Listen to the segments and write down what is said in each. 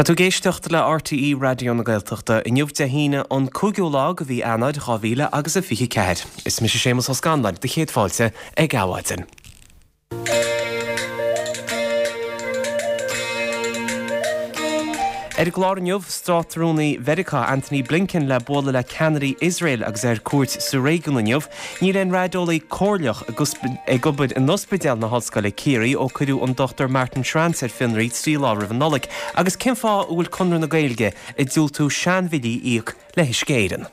Tá tú ag éisteacht le RTÉ Raidió na Gaeltachta inniu Dé hAoine an 5ú lá de mhí Eanáir 2000 agus a 24. Is mise Séamus Ó Scanláin, do chéad fáilte ag Adhmhaidin. Ar an gclár inniu, Státrúnaí Mheiriceá Antony Blinken le bualadh le ceannairí Iosrael agus é ar cuairt sa réigiún inniu. Níl aon raideolaí comhairleach ag obair in Ospidéal na hOllscoile Ciarraí ó cuireadh an Dr Martin Schranz ar fionraí 3 lá roimh an Nollaig. Agus cén fáth a bhfuil Conradh na Gaeilge ag diúltú seanbhillí a íoc le hUisce Éireann?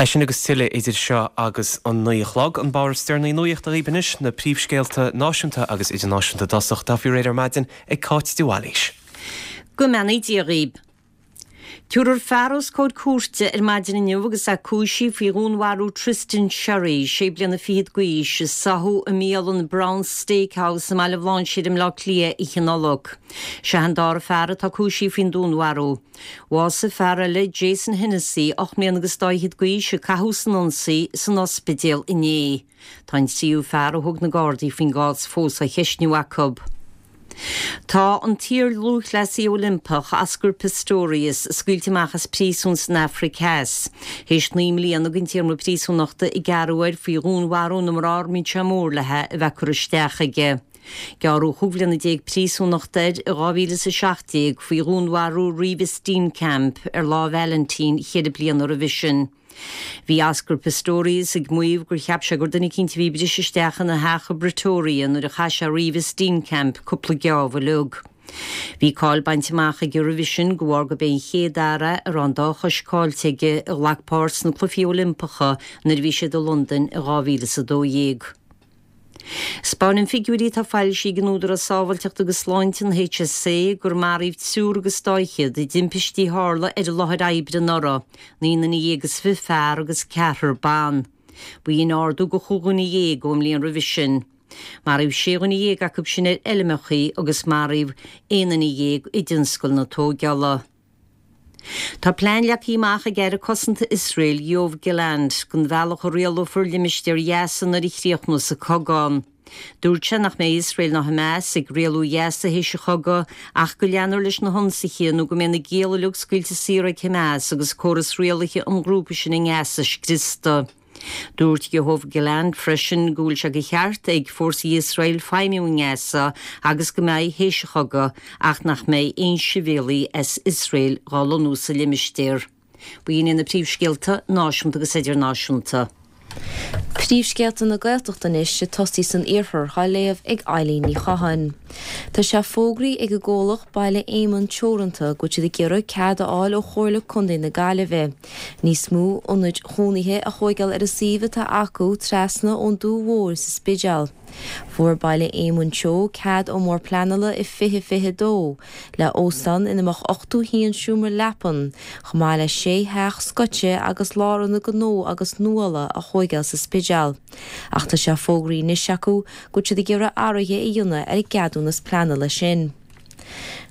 É sin agus tuilleadh idir seo agus an 9 a chlog. An barr is deireanaí nuachta dhaoibh anois, na príomhscéalta náisiúnta agus idirnáisiúnta i dtosach, atá faoi réir ar maidin ag Cáit de Bhailís. Go mbeannaí Dia dhaoib. Tabharfar fear os comhair cúirte ar maidin inniu agus é cúisithe faoi dhúnmharú Tristan Sherry, sé bliana fichead d'aois, a sáthadh i mbialann Brown's Steakhouse i mBaile Bhlainséir i mBleá Cliath oíche Nollag. Sé an dara fear atá cúisithe faoin dúnmharú. Bhásaigh fear eile, Jason Hennessy, 8 mbliana agus dá fhichead d'aois, a caitheadh san ionsaí, san ospidéal inné. Tá an tríú fear a thug na Gardaí faoin gcás fós á cheistniú acu. Tá an t-iar-lúthchleasaí Oilimpeach, Oscar Pistorius, scaoilte amach as príosún san Afraic Theas, théis 9 mbliana den téarma príosúnachta a gearradh air faoi dhúnmharú na mná a mbíonn sé mór léi a bheith curtha isteach aige. Gearradh 15 bhliana príosúnachta air i 2017 faoi dhúnmharú Reeva Steenkamp ar Lá Vailintín cheithre bliana roimhe sin. Bhí Oscar Pistorius ag maíomh gur cheap sé gur duine eicínt a bhí ag briseadh isteach ina theach i bPretoria nuair a chaith sé Reeva Steenkamp cúpla geábh uilig. Bhí cáil bainte amach aige roimhe sin de bharr gurb é an chéad fhear é a raibh an dá chois caillte aige a ghlac páirt sna Cluichí Oilimpeacha nuair a bhí siad i Londain i 2012. 'Spáineann figiúirí atá foilsithe ag an Údarás Sábháilteachta agus Sláinte, an HSA, gur maraíodh triúr agus dá fhichead i dtimpistí a tharla ar an láthair oibre anuraidh, 29 fear agus ceathrar ban. B'in ardú de chúig dhuine dhéag ón mbliain roimhe sin. Maraíodh sé dhuine dhéag acu sin ar fheilmeacha agus maraíodh aon duine dhéag i dtionscal na tóigeála. Tá plean leagtha amach ag Aire Cosanta Iosrael, Yoav Gallant, don bhealach a rialófar limistéar Ghaza nuair a chríochnós an cogadh ann. Dúirt sé nach mbeidh Iosrael ná Hamas ag rialú Ghaza théis an chogaidh ach go leanfar leis na hionsaithe nó go mbeidh na gialla uilig scaoilte saor ag Hamas agus córas rialaithe an ghrúpa sin i nGaza scriosta. Dúirt Yoav Gallant freisin go bhfuil sé de cheart ag fórsaí Iosrael feidhmiú i nGaza agus go mbeidh théis an chogaidh ach nach mbeidh aon sibhialaigh as Iosrael dhá lonnú sa limistéar. B'in iad na príomhscéalta náisiúnta agus idirnáisiúnta. Príomhscéalta na Gaeltachta anois ag tosaí san iarthar á léamh ag Eileen Ní Chatháin. Tá sé fógraithe ag an gcomhlacht Baile Éamonn Teoranta go bhfuil siad ag iarraidh cead a fháil ó Chomhairle Contae na Gaillimhe níos mó ionaid chónaithe a thóigeáil ar an suíomh atá acu trasna ón Dumha Mhór sa Spidéal. Fuair Baile Éamoinn Teo cead ón mBord Pleanála i 2022 le óstán ina mbeadh 81 seomra leapan, chomh maith le sé theach scoite agus lárionad gnó agus nuála a thóigeáil sa Spidéal. Ach tá sé fógraithe anois acu go bhfuil siad ag iarraidh athruithe a dhéanamh ar an gceadúnas pleanála sin.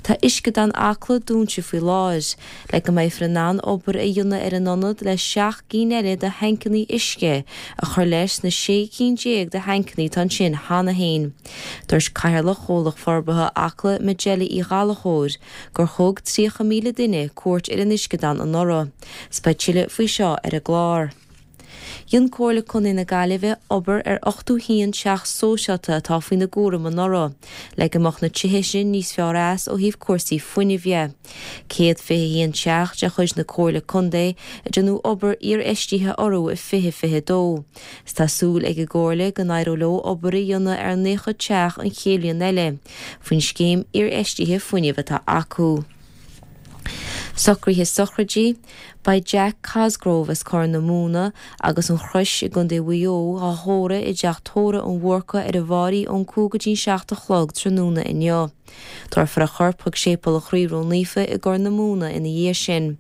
Tá Uisceadán Acla dúnta faoi láthair, le go mbeifear in ann obair a dhéanamh ar an ionad le 7 gcinn eile de thancannaí uisce a chur leis na 16 cinn de thancannaí atá ansin cheana féin. Dúirt Cathaoirleach Chomhlacht Forbartha Acla Majella Uí Ghallchóir gur thug 30,000 duine cuairt ar an uisceadán anuraidh. 'S beidh tuilleadh faoi seo ar an gclár. Dhein Comhairle Contae na Gaillimhe obair ar 81 teach sóisialta atá faoina gcúram anuraidh, le go mbeadh na tithe sin níos fearr as ó thaobh cúrsaí fuinnimh dhe. 121 teach de chuid na Comhairle Contae a déanadh obair iarfheistithe orthu i 2022. 'S tá súil ag an gComhairle go n-éireoidh leo obair a dhéanamh ar 90 teach an chéad bhliain eile, faoin scéim iarfheistithe fuinnimh atá acu. Socruithe sochraide, Beidh Jack Cosgrove as Corr na Móna agus an Chrois i gContae Mhaigh Eo á thórramh i dTeach Tórraimh an Bhúrcaigh ar an bhFáirí ón 5 go dtí an 7 a chlog tráthnóna inniu. Tabharfar a chorp chuig Séipéal an Chroí Ró-Naofa i gCorr na Móna ina dhiaidh sin.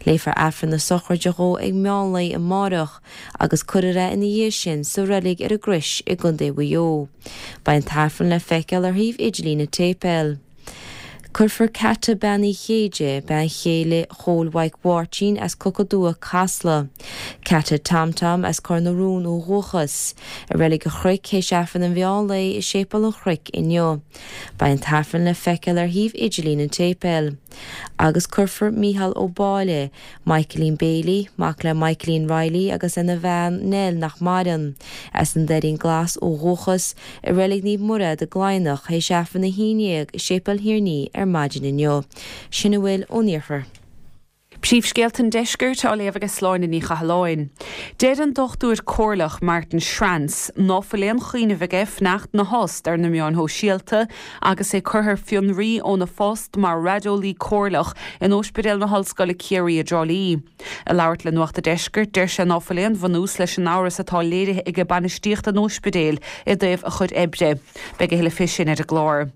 Léifear Aifreann na sochraide dhó ag meán lae amáireach agus cuirfear é ina dhiaidh sin sa reilig ar an gCrois i gContae Mhaigh Eo. Beidh an tAifreann le feiceáil ar shuíomh idirlín an tséipéil. Cuirfear Cata Bean Uí Chéide, bean chéile Chóil Mhaidhc Mháirtín as Coca Dubha, Casla. Cata Tom Tom as Cor na Rón ó dhúchas. I Reilig an Chnoic théis Aifreann an mheán lae i Séipéal an Chnoic inniu. Beidh an tAifreann le feiceáil ar shuíomh idirlín an tséipéil. Agus cuirfear Mícheál Ó Báille, Michaelín Bailey, mac le Michaelín Reilly agus lena bhean Nell nach maireann, as an Doirín Glas ó dhúchas, i Reilig Naomh Mairéad i gCladhnach théis Aifreann a haon dhéag i Séipéal Thír an Fhia ar maidin inniu. Sin a bhfuil ón iarthar. Príomhscéalta an Deiscirt á léamh ag Sláine Ní Chathalláin. Deir an Dochtúir Comhairleach Martin Schranz ná fuil aon chuimhneamh aige fanacht 'na thost ar na meáin shóisialta agus é curtha ar fionraí óna phost mar raideolaí comhairleach in Ospidéal na hOllscoile Ciarraí i dTrá Lí. Ag labhairt le Nuacht a' Deiscirt, deir sé ná fuil aon bhunús leis an amhras atá léirithe aige bainistíocht an ospidéil i dtaobh a chuid oibre. Beidh a thuilleadh fé sin ar an gclár.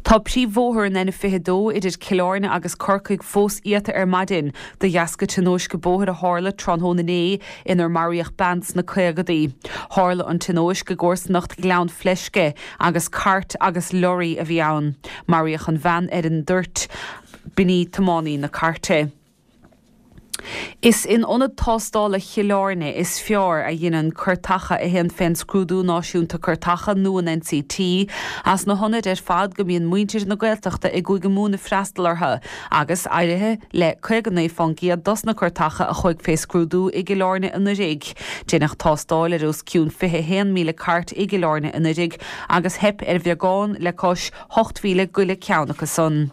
Tá príomhbhóthar an N22 idir Cill Airne agus Corcaigh fós iata ar maidin de dheasca tionóisce bóthair a tharla tráthnóna inné inar maraíodh bean sna caogadaí. Tharla an tionóisc i gcomharsanacht Ghleann Fleisce agus cairt agus lorraí a bhí ann. Maraíodh an bhean ar an dtoirt. B'in í tiománaí na cairte. Is in Ionad Tástála Chill Airne is fearr a dheineann cairteacha a théann fén Scrúdú Náisiúnta Cairteacha nó an NCT as na hionaid ar fad go mbíonn muintir na Gaeltachta i gCúige Mumhan ag freastal orthu agus éirithe le 59 fán gcéad dos na cairteacha a chuaigh fé scrúdú i gCill Airne anuiridh. Deineadh tástáil ar os cionn 21,000 cairt i gCill Airne anuiridh agus theip ar bheagán le cois 8,000 go leith ceann acu san.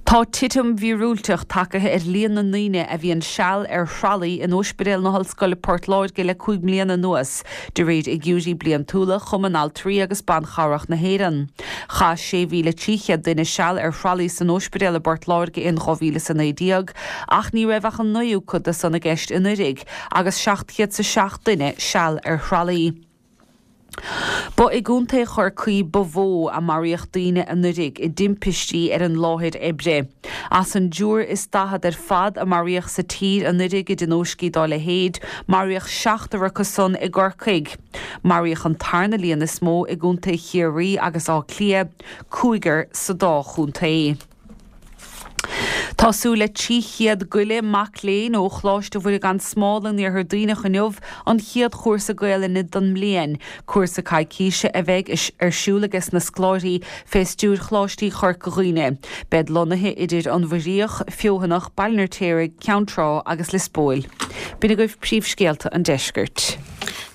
Tá titim mhíorúilteach tagaithe ar líon na ndaoine a bhíonn seal ar thralaí in Ospidéal na hOllscoile Port Láirge le 5 mbliana anuas, de réir fhigiúirí bliantúla Chumann Altraí agus Ban Chabhrach na hÉireann. Chaith 6,300 duine seal ar thralaí san ospidéal i bPort Láirge in 2019 ach ní raibh ach an naoú cuid de san i gceist anuiridh agus 707 duine seal ar thralaí. Ba i gContae Chorcaí ba mhó a maraíodh daoine anuiridh i dtimpistí ar an láthair oibre. As an dtriúr is 40 ar fad a maraíodh sa tír anuiridh i dtionóiscí dá leithéid, maraíodh seachtar acu san i gCorcaigh. Maraíodh an tarna líon is mó i gContae Chiarraí agus Átha Cliath, cúigear sa dá chontae. Tá súil le 300 go leith mac léinn ó Choláiste Mhuire gan Smál in Iarthar Duibhneach inniu an chéad chúrsa Gaelainne don mbliain, cúrsa coicíse a bheidh ar siúl aige sna scoláirí fé stiúir Choláistí Chorca Dhuibhne. Beid lonnaithe idir an Mhuiríoch, Feothanach, Baile an Fheirtéaraigh, Ceann Trá agus Lios Póil. B'in agaibh príomhscéalta an deiscirt.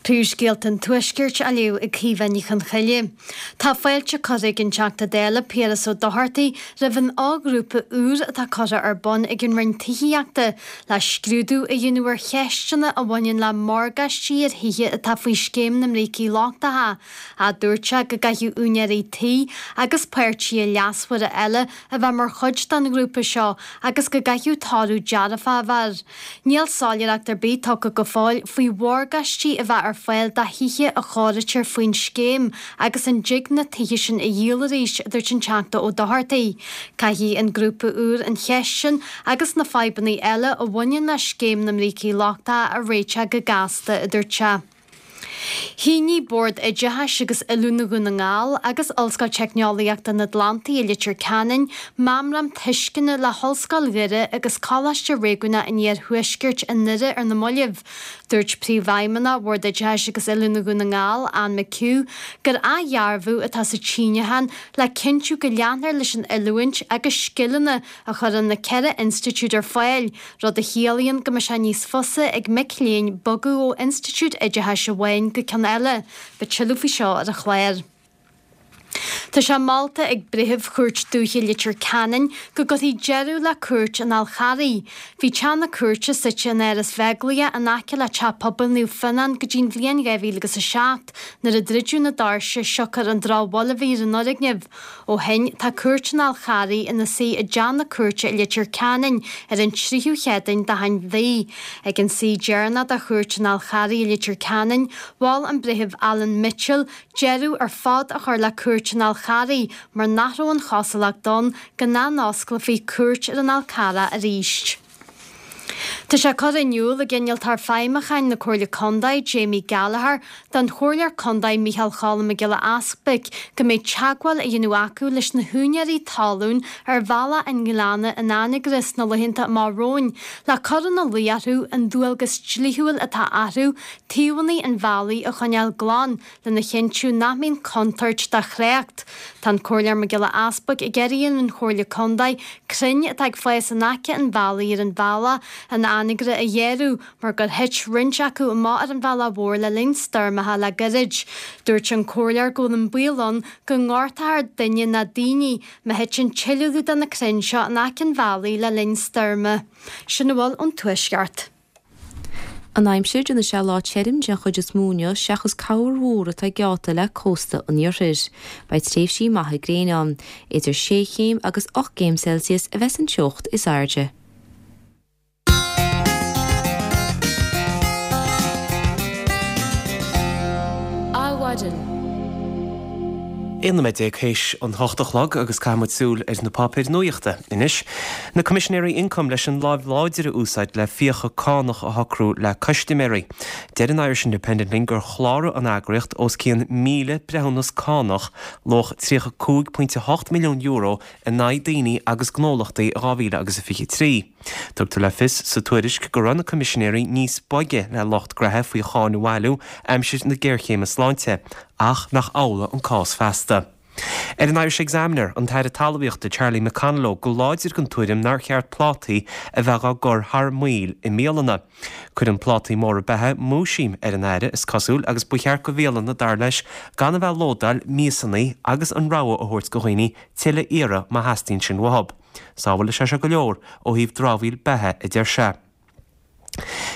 Príomhscéalta an Tuaiscirt á léamh ag Caoimhe Ní Chonchoille. Tá fáilte curtha ag an Teachta Dála Piaras Ó Dochartaigh roimh an fhoghrúpa úr atá curtha ar bun ag an Roinn Tithíochta le scrúdú a dhéanamh ar cheisteanna a bhaineann le morgáistí ar thithe atá faoi Scéim na mBrící Lochtacha. Dúirt sé go gcaithfidh úinéirí tí agus páirtithe leasmhara eile a bheith mar chuid den ghrúpa seo agus go gcaithfidh toradh dearfach a bheith air. Níl soiléireacht ar bith tugtha go fóill faoi mhorgáistí a bheith ar fáil do thithe a chóirítear faoin scéim agus an dtig na tithe sin a dhíol arís, a dúirt an Teachta Ó Dochartaigh. Caithfidh an grúpa úr an cheist sin agus na fadhbanna eile a bhaineann le scéim na mbrící lochtacha a réiteach go gasta, a dúirt sé. Shínigh Bord Oideachais agus Oiliúna Dhún na nGall agus Ollscoil Teicneolaíochta an Atlantaigh i Leitir Ceanainn meamram tuisceana le hOllscoil Dhoire agus Coláiste Réigiúnach an Iarthuaiscirt i nDoire ar na mallaibh. Dúirt Príomhfheidhmeannach Bhord Oideachais agus Oiliúna Dhún na nGall, Anne McHugh, gur athdhearbhú atá sa tsíniúchán le cinntiú go leanfar leis an oiliúint agus scileanna a chuireann na 4 institiúid ar fáil, rud a chiallaíonn go mbeidh sé níos fusa ag mic léinn bogadh ó institiúid oideachais amháin go ceann eile. Beidh tuilleadh faoi seo ar an chlár. Tá sé molta ag Breitheamh Chúirt Dúiche Leitir Ceanainn go gcuirfí deireadh le Cúirt an Fhál Charraigh. Bhí teach na cúirte suite in Áras Bheaglaoich in aice le Teach Pobail Naomh Fionnán go dtí an bhliain 2007 nuair a druideadh na doirse siocair an drochbhail a bhí ar an fhoirgneamh. Ó shin, tá Cúirt an Fhál Charraigh ina suí i dteach na cúirte i Leitir Ceanainn ar an tríú Chéadaoin d'achan mhí. Ag an suí deireanach de Chúirt an Fhál Charraigh i Leitir Ceanainn, mhol an Breitheamh Alan Mitchell deireadh ar fad a chur le Cúirt an Fhál Charraigh mar nach raibh an chosúlacht ann go n-athosclófaí cúirt ar an Fhál Carrach arís. Tá sé curtha in iúl ag Innealtóir Feidhmiúcháin na Comhairle Contae, Jamie Gallagher, don Chomhairleoir Contae Micheál Cholm Mac Giolla Easbuic go mbeidh teagmháil á dhéanamh acu leis na húinéirí talún ar Bhealach an Ghleanna in Anagaire sna laethanta amach romhainn le cur ina luí orthu an dualgas dlíthiúil atá orthu taobhanna an bhealaigh a choinneáil glan lena chinntiú nach mbíonn contúirt do thrácht. Tá an Comhairleoir Mac Giolla Easbuic ag iarraidh ar an Chomhairle Contae crainn atá ag fás in aice an bhealaigh ar an bhealach in Anagaire a ghearradh mar gur thit roinnt acu amach ar an bhealach mhór le linn stoirmeacha le gairid. Dúirt an Comhairleoir go bhfuil an baol ann go ngortófar duine nó daoine má thiteann tuilleadh de na crainn seo in aice an bhealaigh le linn stoirme. Sin a bhfuil ón Tuaisceart. An aimsir, déanfaidh sé lá tirim den chuid is mó inniu seachas corrmhúr mór atá geallta le cósta an iarthair. Beidh tréimhsí maithe gréine ann. Idir sé chéim agus 8 gcéim Celsius a bheas an teocht is airde. Adhmhaidin. 11 nóiméad théis an hocht a chlog agus caithfidh muid súil ar na páipéir nuachta anois. Na Coimisinéirí Ioncaim leis an láimh láidir a úsáid le fiacha cánach a shocrú le custaiméirí. Deir an Irish Independent linn gur chláraigh an eagraíocht os cionn 1,000 breithiúnas cánach luach €35.8 milliún in aghaidh daoine agus gnólachtaí i 2023. Tugtar le fios sa tuairisc go raibh na Coimisinéirí níos boige le lucht graithe faoi cháin a bhailiú aimsir na géarchéime sláinte, ach nach amhlaidh an cás feasta. Ar an Irish Examiner, an tAire Talmhaíochta Charlie McConalogue go láidir den tuairim nár cheart plátaí a bheith á gcur thar maoil i mbialanna. Cuireann plátaí móra beatha múisiam ar an Aire, is cosúil, agus ba cheart go bhialanna, dar leis, gan a bheith ag lódáil miasanna agus an rogha a thabhairt go dhaoine tuilleadh a iarraidh má theastaíonn sin uathu. Sábhálfaidh sé seo go leor ó thaobh dramhaíl beatha, a deir sé.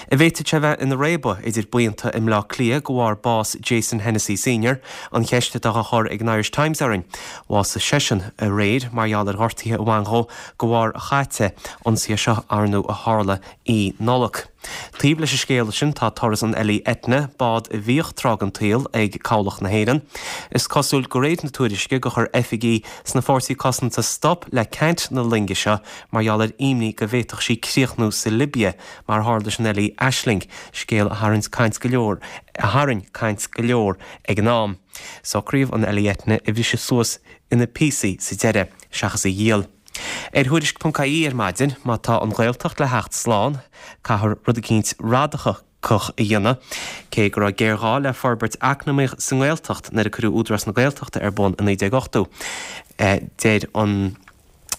An bhféadfadh sé bheith ina réabadh idir buíonta i mBleá Cliath de bharr bás Jason Hennessy Senior, an cheist atá á chur ag an Irish Times orainn. Bhásaigh seisean aréir mar gheall ar ghortuithe a bhain dhó de bharr a chaite, ionsaithe seo ar ndóigh a tharla i Nollag. Taobh leis an scéal sin tá turas an Ellie Etna, bád a bhíodh tráth den tsaol ag Cabhlach na hÉireann. Is cosúil de réir na tuairisce gur chuir oifigigh sna Fórsaí Cosanta stop le ceant na loinge seo mar gheall ar imní go bhféadfadh sí críochnú sa Libia mar a tharla leis an Ellie Aisling, scéal a tharraing caint go leor a tharraing caint go leor ag an am. Socraíodh an Ellie Etna a bhriseadh suas ina píosaí sa deireadh, seachas í a dhíol. Ar Thuairisc.ie ar maidin, má tá an Ghaeltacht le theacht slán, caithfear rud eicínt radacach a dhéanamh. Cé go raibh géarghá le forbairt eacnamaíoch sa nGaeltacht nuair a cuireadh Údarás na Gaeltachta ar bun i 1980, deir an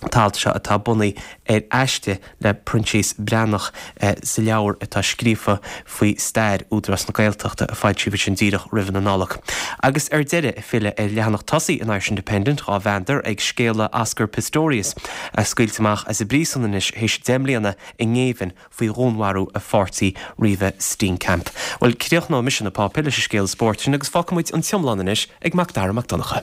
t-alt seo atá bunaithe ar aiste le Proinsias Breathnach sa leabhar atá scríofa faoi stair Údarás na Gaeltachta a foilsíodh ansin díreach roimh na Nollag. Agus ar deireadh, ag filleadh ar leathanach tosaigh an Irish Independent, dhá mheandar ag scéala Oscar Pistorius, a scaoilte amach as an bpríosún anois théis 10 mbliana i ngéibheann faoi dhúnmharú a pháirtí Reeva Steenkamp. Bhuel, críochnóidh mise na páipéir leis an scéal spóirt sin agus fágfaidh muid an t-iomlán anois ag Macdara Mac Donncha.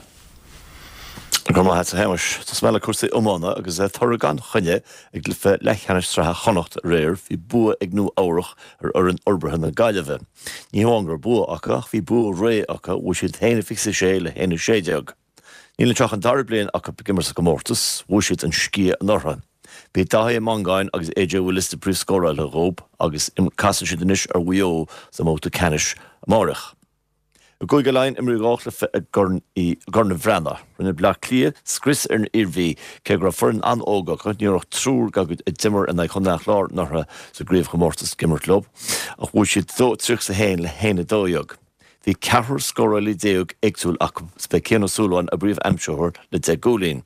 Go raibh maith agat, a Shéamais. Tosóidh mé le cúrsaí iomána agus toradh gan choinne i gcluiche leathcheannais sraithe Chonnacht aréir. Bhí bua ag Nua Eabhrach ar fhoireann Fhorbartha na Gaillimhe. Ní hamháin go raibh bua acu ach bhí bua réidh acu, bhuaigh siad 1-26 le 1-16. Níl anseo ach an dara bliain acu ag imirt sa gcomórtas, bhuaigh siad an sciath anuraidh. B'é Daithí Ó Mongáin agus AJ Willis na príomhscórálaithe dhób agus casfaidh siad anois ar Mhaigh Eo sa mbabhta ceannais amáireach. I gCúige Laighean, imríodh 2 chluiche i gCorn an Bhreathnaigh. Rinne Bleá Cliath scrios ar an Iarmhí. Cé go raibh foireann an-óg acu, ní raibh ach triúr dá gcuid a d'imir in aghaidh Chontae an Chláir anuraidh sa gcraobhchomórtas ag imirt leo, ach bhuaigh siad 2-31 le 1-12. Bhí ceathrar scórálaí déag éagsúil acu is b'é Cian Ó Súilleabháin a bpríomh-aimsitheoir le 10 gcúilín.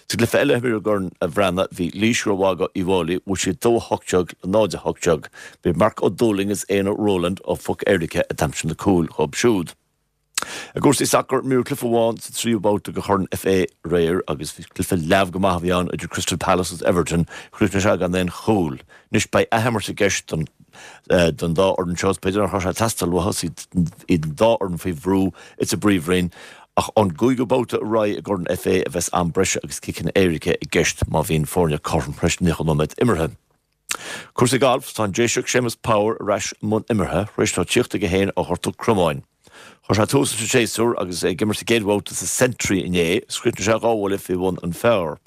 Sa gcluiche eile a imríodh i gCorn a' Bhreathnaigh bhí Laois rómhaith do Uíbh Fhailí, bhuaigh siad 2-18 le 0-18. B'é Mark Ó Dúlaing is Éanna Rowland ó Phoc Éirice a d'aimsigh na cúil dhóibh siúd. I gcúrsaí sacair, imríodh cluiche amháin sa tríú babhta de Chorn FA aréir agus bhí cluiche leamh go maith a bhí ann idir Crystal Palace agus Everton. Chríochnaigh sé gan aon chúl. Anois beidh athimirt i gceist don don dá fhoireann seo. Is b'fhéidir nach raibh sé ag teastáil uathu is iad an dá fhoireann faoi bhrú insa bPríomhroinn. Ach ón gcúigiú babhta ar aghaidh i gCorn FA a bheas am breise agus ciceanna éirice i gceist má bhíonn foirne cothrom tar éis 90 nóiméad imeartha. Cúrsaí gailf, Tá an Déiseach Séamus Power ar ais i mbun imeartha tar éis dó tíocht chuige féin ó ghortú cromáin. Chuir sé tús leis an séasúr agus é ag imirt sa gcéad bhabhta sa Sentry inné is chríochnaigh sé dhá bhuille faoi bhun an phar.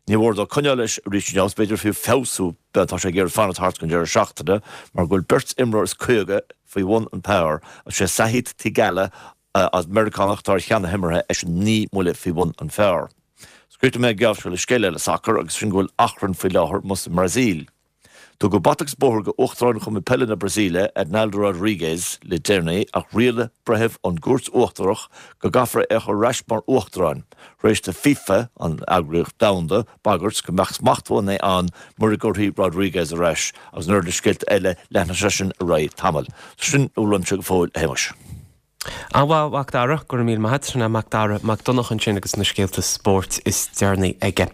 Ní mór dó coinneáil leis arís inniu agus b'fhéidir fiú feabhsú má tá sé ag iarraidh fanacht thart don deireadh seachtaine mar go bhfuil beirt imreoir is 50 faoi bhun an phar agus sé Sahith Theegala An Meiriceánach atá ar cheann na himeartha, eisean 9 mbuille faoi bhun an phar. Críochnóidh mé an geábh seo le scéal eile sacair agus sin go bhfuil achrann faoi láthair amuigh sa mBrasaíl. Tugadh bata agus bóthar go Uachtarán Chumann Peile na Brasaíle, Ednaldo Rodrigues, le deireanaí ach rialaigh breitheamh ón gCúirt Uachtarach go gcaithfear é a chur ar ais mar Uachtarán, tar éis do FIFA, an eagraíocht domhanda, bagairt go mbeadh smachtbhannaí ann mura gcuirfí Rodrigues ar ais agus an oiread le scéalta eile, leanfaidh sé sin ar aghaidh tamall. Sin a bhfuil uaimse go fóill, a Shéamais. An-mhaith, a Mhac Dara, go raibh míle maith agat. Sin é Mac Dara Mac Donncha ansin agus na scéalta spóirt is deireanaí aige.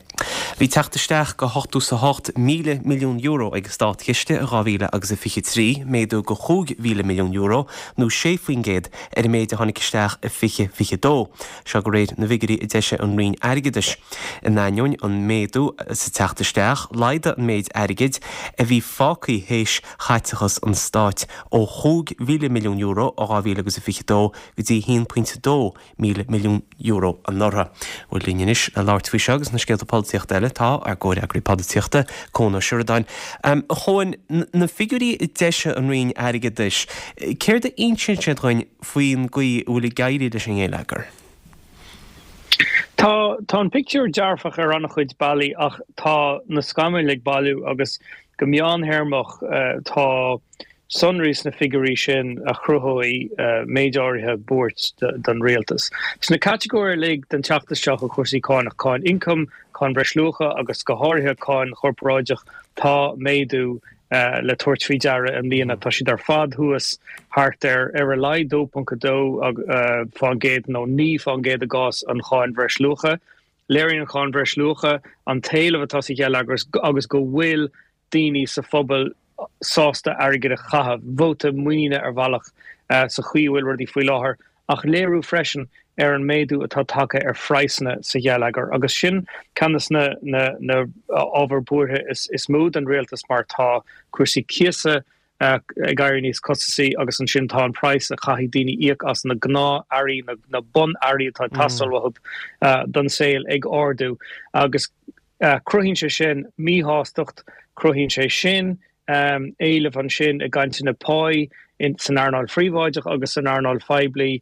Bhí teacht isteach go €88,000 milliún ag an státchiste i 2000 agus a 23, méadú go €5,000 milliún nó 6% ar an méid a tháinig isteach i 2022. Seo de réir na bhfigiúirí a d'eisigh an Roinn Airgeadais. In ainneoin an méadú sa teacht isteach, laghdaigh an méid airgid a bhí fágtha théis chaiteachas an stáit ó €5,000 milliún i 2022 go dtí €1.2 míle milliún anuraidh. Bhuel linn anois le labhairt faoi seo agus na scéalta polaitíochta eile tá ár gcomhfhreagraí polaitíochta, Cuan Ó Seireadáin. A Chuain, na figiúirí a d'eisigh an Roinn Airgeadais, céard a insíonn siad dhuinn faoin gcaoi a bhfuil ag éirí leis an ngeilleagar? Tá, tá an pictiúr dearfach ar an-chuid bealaí ach tá na scamaill ag bailiú agus go meántéarmach tá sonraí sna figiúirí sin a chruthóidh méid áirithe buairt don rialtas. Sna catagóirí uilig den teacht isteach ó chúrsaí cánach, cáin ioncaim, cáin bhreisluacha agus go háirithe cáin chorparáideach, tá méadú le tabhairt faoi deara i mbliana. Tá siad ar fad thuas thart ar ar a laghad 2.2 fán gcéad nó 9 fán gcéad i gcás an cháin bhreisluacha. Léiríonn an cháin bhreisluacha an t-éileamh atá sa gheilleagar agus go bhfuil daoine sa phobal sásta airgead a chaitheamh, vóta muiníne ar bhealach sa chaoi a bhfuil rudaí faoi láthair. ach léiriú freisin ar an méadú atá tagtha ar phraghsanna sa gheilleagar agus sin ceann de na ábhair buartha is mó don rialtas mar tá cúrsaí cíosa ag éirí níos costasaí agus ansin tá an praghas a chaithfidh daoine íoc as na gnáth-earraí, na bun-earraí atá ag teastáil uathu don saol ag ardú agus cruthaíonn sé sin míshástacht, cruthaíonn sé sin éileamh ansin i gcainteanna páí san earnáil phríobháideach agus san earnáil phoiblí,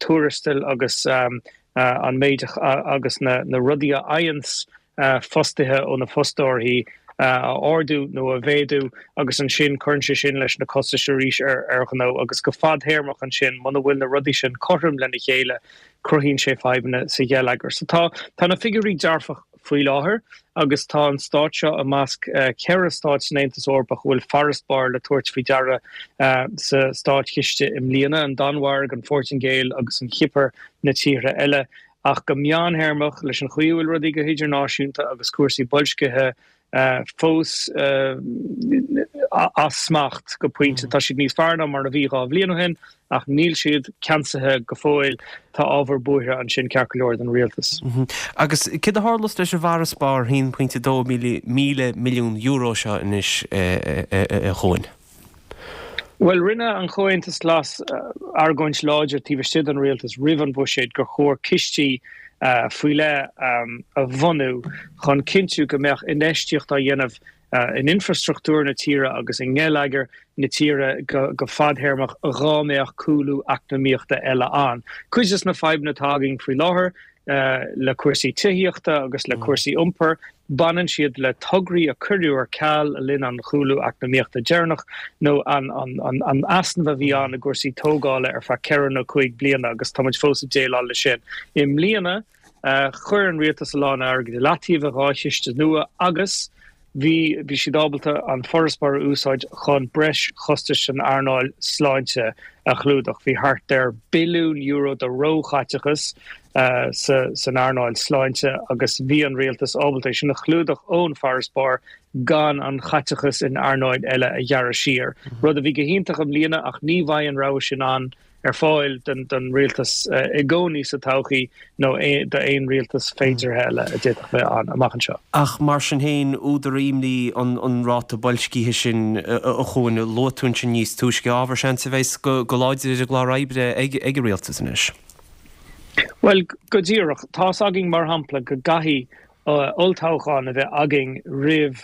tuarastail agus an méid agus na rudaí a fhaigheanns fostaithe ó na fostóirí a ardú nó a mhéadú agus ansin cuireann sé sin leis na costais arís ar ghnó agus go fadtéarmach ansin muna bhfuil na rudaí sin cothrom lena chéile cruthaíonn sé fadhbanna sa gheilleagar. So tá tá na figiúirí dearfach faoi láthair agus tá an stát seo i measc 4 stát san Aontas Eorpach a bhfuil farasbarr le tabhairt faoi deara sa státchiste i mbliana, an Danmhairg, an Phortaingéil agus an Chipir na tíortha eile. Ach go meántéarmach, leis an chaoi a bhfuil rudaí go hidirnáisiúnta agus cúrsaí boilscithe fós as smacht go pointe. Tá siad níos fearr ná mar a bhí 2 bhliain ó shin ach níl siad ceansaithe go fóill. Tá ábhar buartha ansin ceart go leor don rialtas. Agus céard a tharlós leis an bhfarasbarr €1.2 míle milliún seo anois a Chuain? Bhuel, rinne an Comhaontas Glas argóint láidir taobh istigh den rialtas roimh an bhuiséad gur chóir cistí faoi leith a bhunú chun cinntiú go mbeadh infheistíocht á dhéanamh in infreastruchtúr na tíre agus i ngeilleagar na tíre go fadthéarmach dhá mbeadh cúlú eacnamaíochta eile ann. Cuid de na fadhbanna atá againn faoi láthair, le cúrsaí tithíochta agus le cúrsaí iompair, baineann siad le tograí a cuireadh ar ceal le linn an chúlú eacnamaíochta deireanach nó an easnamh a bhí ann i gcúrsaí tógála ar feadh ceithre nó cúig bliana agus tá muid fós ag déileáil leis sin. I mbliana, chuir an rialtas a lán airgid i leataobh i dhá chiste nua agus. Bhí, bhí siad ábalta an farasbarr a úsáid chun breis chostais san earnáil sláinte a chlúdach. Bhí thart ar billiún euro de róchaiteachas sa san earnáil sláinte agus bhí an rialtas ábalta é sin a chlúdach ón bhfarasbarr gan an chaiteachas in earnáil eile a ghearradh siar. Rud a bhí go hiontach i mbliana ach ní bheidh an rogha sin ann ar fáil don rialtas i gcónaí sa todhchaí nó d'aon rialtas féideartha eile a d'fhéadfadh bheith ann amach anseo. Ach mar sin féin, údar imní an ráta boilscithe sin a Chuain, a luaigh tú ansin níos túisce, ábhar seans a bheas go láidir ar an gclár oibre ag an rialtas anois. Bhuel, go díreach. Tá's againn, mar shampla, go gcaithfidh olltoghchán a bheith againn roimh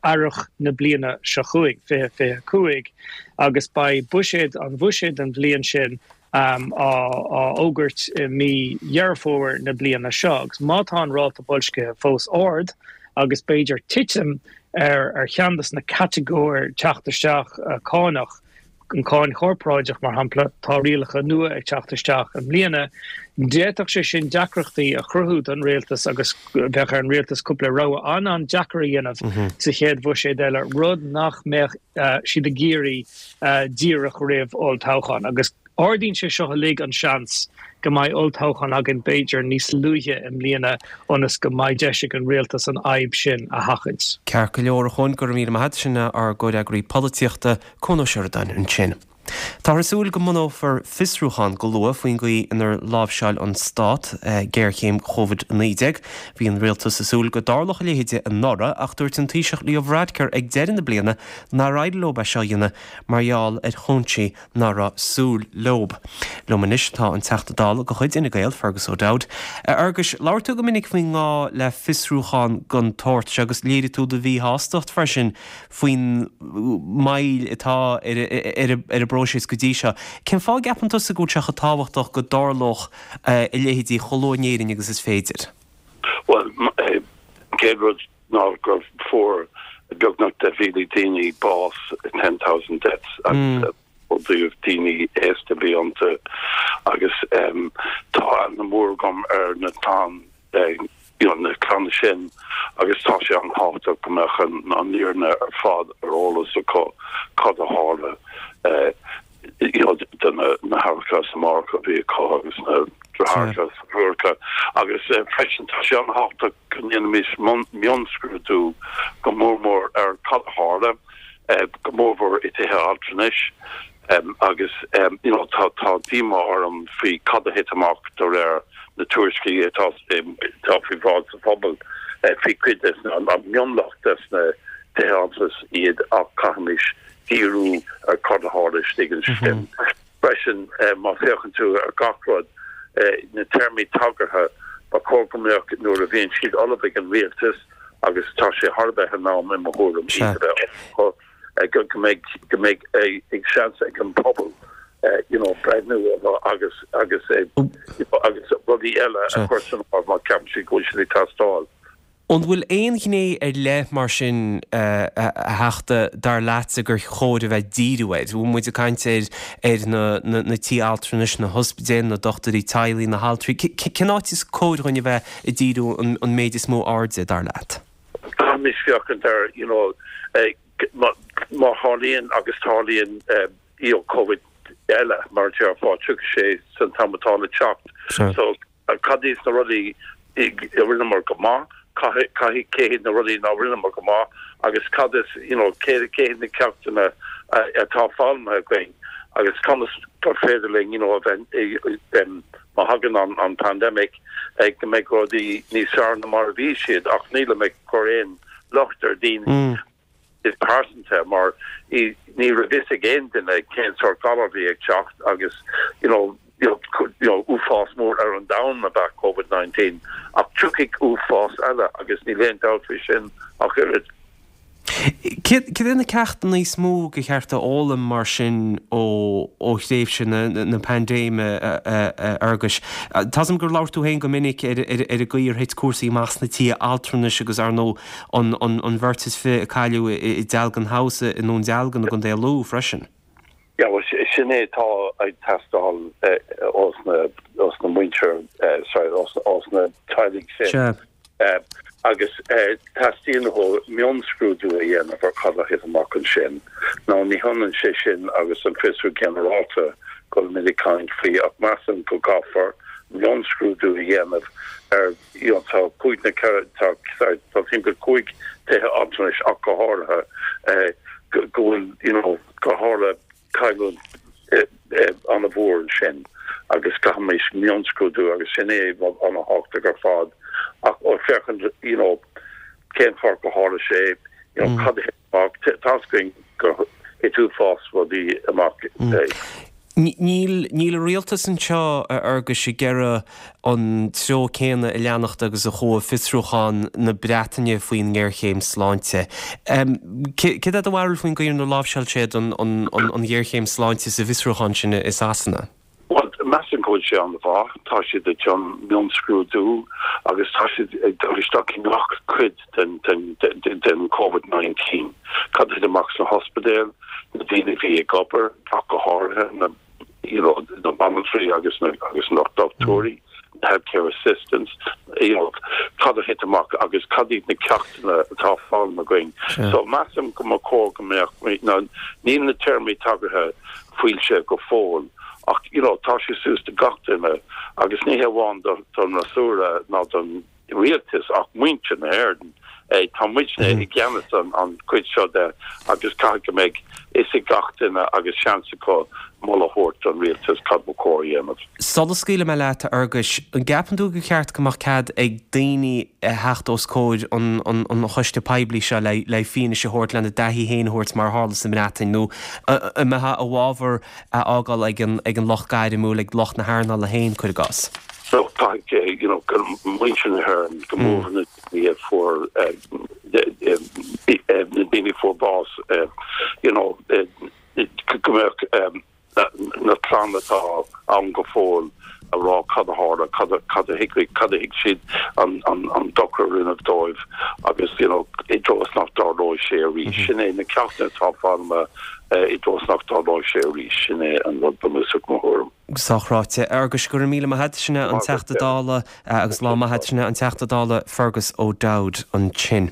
earrach na bliana seo chugainn, 2025, agus beidh buiséad an bhuiséad don bhliain sin á fhógairt i mí Dheireadh Fómhair na bliana seo. Agus má tá an ráta boilscithe fós ard, agus b'fhéidir titim ar cheann de na catagóir teacht isteach cánach, an cáin chorparáideach, mar shampla, tá rialacha nua ag teacht isteach i mbliana. D'fhéadfadh sé sin deacrachtaí a chruthú don rialtas agus bheadh ar an rialtas cúpla rogha an-an-deacair a dhéanamh sa chéad bhuiséad eile, rud nach mbeadh siad ag iarraidh díreach roimh olltoghchán. Agus ardaíonn sé seo uilig an seans go mbeidh olltoghchán againn b'fhéidir níos luaithe i mbliana ionas go mbeidh deis ag an rialtas an fhadhb sin a sheachaint. Ceart go leor, a Chuain, go raibh míle maith agat. Sin ár gcomhfhreagraí polaitíochta. Cuan Ó Seireadáin ansin. Táthar ag súil go mbunófar fiosrúchán go luath faoin gcaoi inar láimhseáil an Stát géarchéim Covid-19. Bhí an Rialtas ag súil go dtarlódh a leithéid anuraidh ach dúirt an Taoiseach Leo Varadkar ag deireadh na bliana nár éirigh leo é seo a dhéanamh mar gheall ar chúinsí ná raibh súil leo. Liom anois tá an Teachta Dála de chuid Fhine Gael, Fergus O'Dowd. A Fherguis, labhair tú go minic faoin ngá le fiosrúchán den tsórt seo agus léirigh tú do mhíshástacht freisin faoin moill atá ar an bpróiseas go dtí seo. Cén fáth a gceapann tusa go bhfuil sé chomh tábhachtach go dtarlódh a leithéidí chomh luath in Éirinn agus is féidir? Bhuel, an chéad rud ná gur fuair beagnach 10,000 daoine bás, 10,000 deaths, agus ó dtaobh daoine aosta a bhí iontu agus tá aithne mhór agam ar na clann you know na clanna sin agus tá sé an-tábhachtach go mbeadh an fhírinne ar fad ar eolas acu cad a tharla you know do na na haithreacha is na máithreacha a bhí acu agus na deartháireacha is na deirfiúracha agus freisin tá sé an-tábhachtach go ndéanfaimis mionscrúdú go mór mór ar cad a tharla go mórmhór i dtithe altranais agus you know tá tá díomá orm faoi cad a thit amach de réir na tuairiscí atá atá faoi bhráid sa phobal faoi cuid des na an mionlach des na tithe altranais iad ach caithfimis díriú ar cad a tharla istigh ansin. Freisin má féachann tú ar gach rud na téarmaí tagartha ba chóir go mbeadh nuair a bhíonn siad ullamh ag an rialtas agus tá sé thar a bheith in am i mo thuairim iad a bheith ullamh go go mbeidh go mbeidh ag seans ag an pobal you know breithniú agus agus agus rudaí eile a chur san áireamh má cheapann siad go bhfuil siad ag teastáil. An bhfuil aon ghné ar leith mar sin, a Theachta, dar leatsa gur chóir a bheith ag díriú air? Bhfuil muid ag caint ar ar na na tithe altranais, na hospidéil, na dochtúirí teaghlaigh, na haltraí? Cén áit is cóir dhúinn a bheith ag díriú an méid is mó airde, dar leat? Caithfimis féachaint ar, you know, má tharlaíonn agus tarlaíonn, you know, Covid eile, mar a déarfá, tiocfaidh sé san t-am atá le teacht. So, Cad iad na rudaí a rinneamar go maith, cad cé hiad na rudaí ná rinneamar go maith agus cad is, you know, cé cé hiad na ceachtanna atá foghlamtha againn agus conas gur féidir linn, you know, a bheith, má thagann an an pandemic, go mbeidh rudaí níos fearr ná mar a bhí siad ach nílim ag cur aon locht ar daoine. go pearsanta mar ní raibh fhios ag aon duine cén sórt galar a bhí ag teacht agus you know you know uafás mór ar an domhan ab ea Covid 19 ach tiocfaidh uafás eile agus níl aon dabht faoi sin ach oiread. Céard iad na ceachtanna is mó gur cheart a fhoghlaim mar sin ó thréimhse na paindéime, a Fhearghuis? Tá's agam gur labhair tú féin go minic ar an gcaoi ar thit cúrsaí amach sna tithe altranais agus, ar ndóigh, an bheirt is fi a cailleadh i Dealgan House i nDún Dealgan i gContae Lú freisin. Yeah, bhuel, sin é atá ag teastáil ós na, ós na muintir, sorry, ós na teaghlaigh sin. Sea. Agus teastaíonn uathu mionscrúdú a dhéanamh ar cad a thit amach ansin. Now ní hionann sé sin agus an fiosrú ginearálta go bhfuilimid ag caint faoi ach measaim go gcaithfear mionscrúdú a dhéanamh ar you know tá cúig nó ceithre tá sorry tá timpeall 5 tithe altranais ach go háirithe go bhfuil you know go tharla cailliúint an-mhór ansin agus caithfimid mionscrúdú agus sin é rud an-thábhachtach ar fad ach ó féachaint you know cén fáth go tharla sé you know cad a thit amach tá's againn gur thit uafás rudaí amach. Níl níl an rialtas anseo a Fhearghuis ag iarraidh an treo céanna a leanacht agus a chuaigh fiosrúchán na Breataine faoin ngéarchéim sláinte. Céard é do bharúil faoin gcaoi inar láimhseáil siad an ghéarchéim sláinte sa bhfiosrúchán sin i Sasana? Bhuel, measaim go bhfuil sé an-mhaith. Tá siad ag déanamh mionscrúdú agus tá siad ag dul isteach i ngach cuid den den Covid-19. Cad a thit amach sna hospidéil, na daoine a bhí ag obair, ach go háirithe na you know na banaltraí agus na agus na dochtúirí, na healthcare assistants, you know cad a thit amach agus cad iad na ceachtanna atá foghlamtha againn. So measaim go mba chóir go mbeadh, now níl na téarmaí tagartha foilsithe go fóill ach you know tá sé suas do gach duine agus ní hé amháin don fhreasúra ná don rialtas ach muintir na hÉireann. Tá muidne i gceannas an chuid seo de agus caithfidh go mbeidh fhios ag gach duine agus seans acu moladh a thabhairt don rialtas cad ba chóir a dhéanamh. Sula scaoilfidh mé leat, a Fhearghuis, an gceapann tú gur cheart go mbeadh cead ag daoine a theacht os comhair an choiste poiblí seo le fianaise a thabhairt, lena dtaithí féin a thabhairt mar a tharla sa mBreatain, nó an mbeifeá i bhfabhar a fhágáil ag an lucht gairmiúil, ag lucht na hearnála féin, cuir i gcás? So caithfidh you know go muintir na hÉireann go mór na daoine a fuair na daoine a fuair bás you know go mbeadh na clann atá ann go fóill a rá cad a tharla, cad a cad a thuig cad a thuig siad an an an dochar a rinneadh dóibh agus you know i dtreo is nach dtarlóidh sé arís. Sin é na ceachtanna atá foghlamtha i dtreo is nach dtarlóidh sé arís. Sin é an rud bunúsach mo thuairim. Sách ráite. A Fhearghuis, go raibh míle maith agat. Sin é an Teachta Dála agus lá maith agat. Sin é an Teachta Dála Fergus O'Dowd ansin.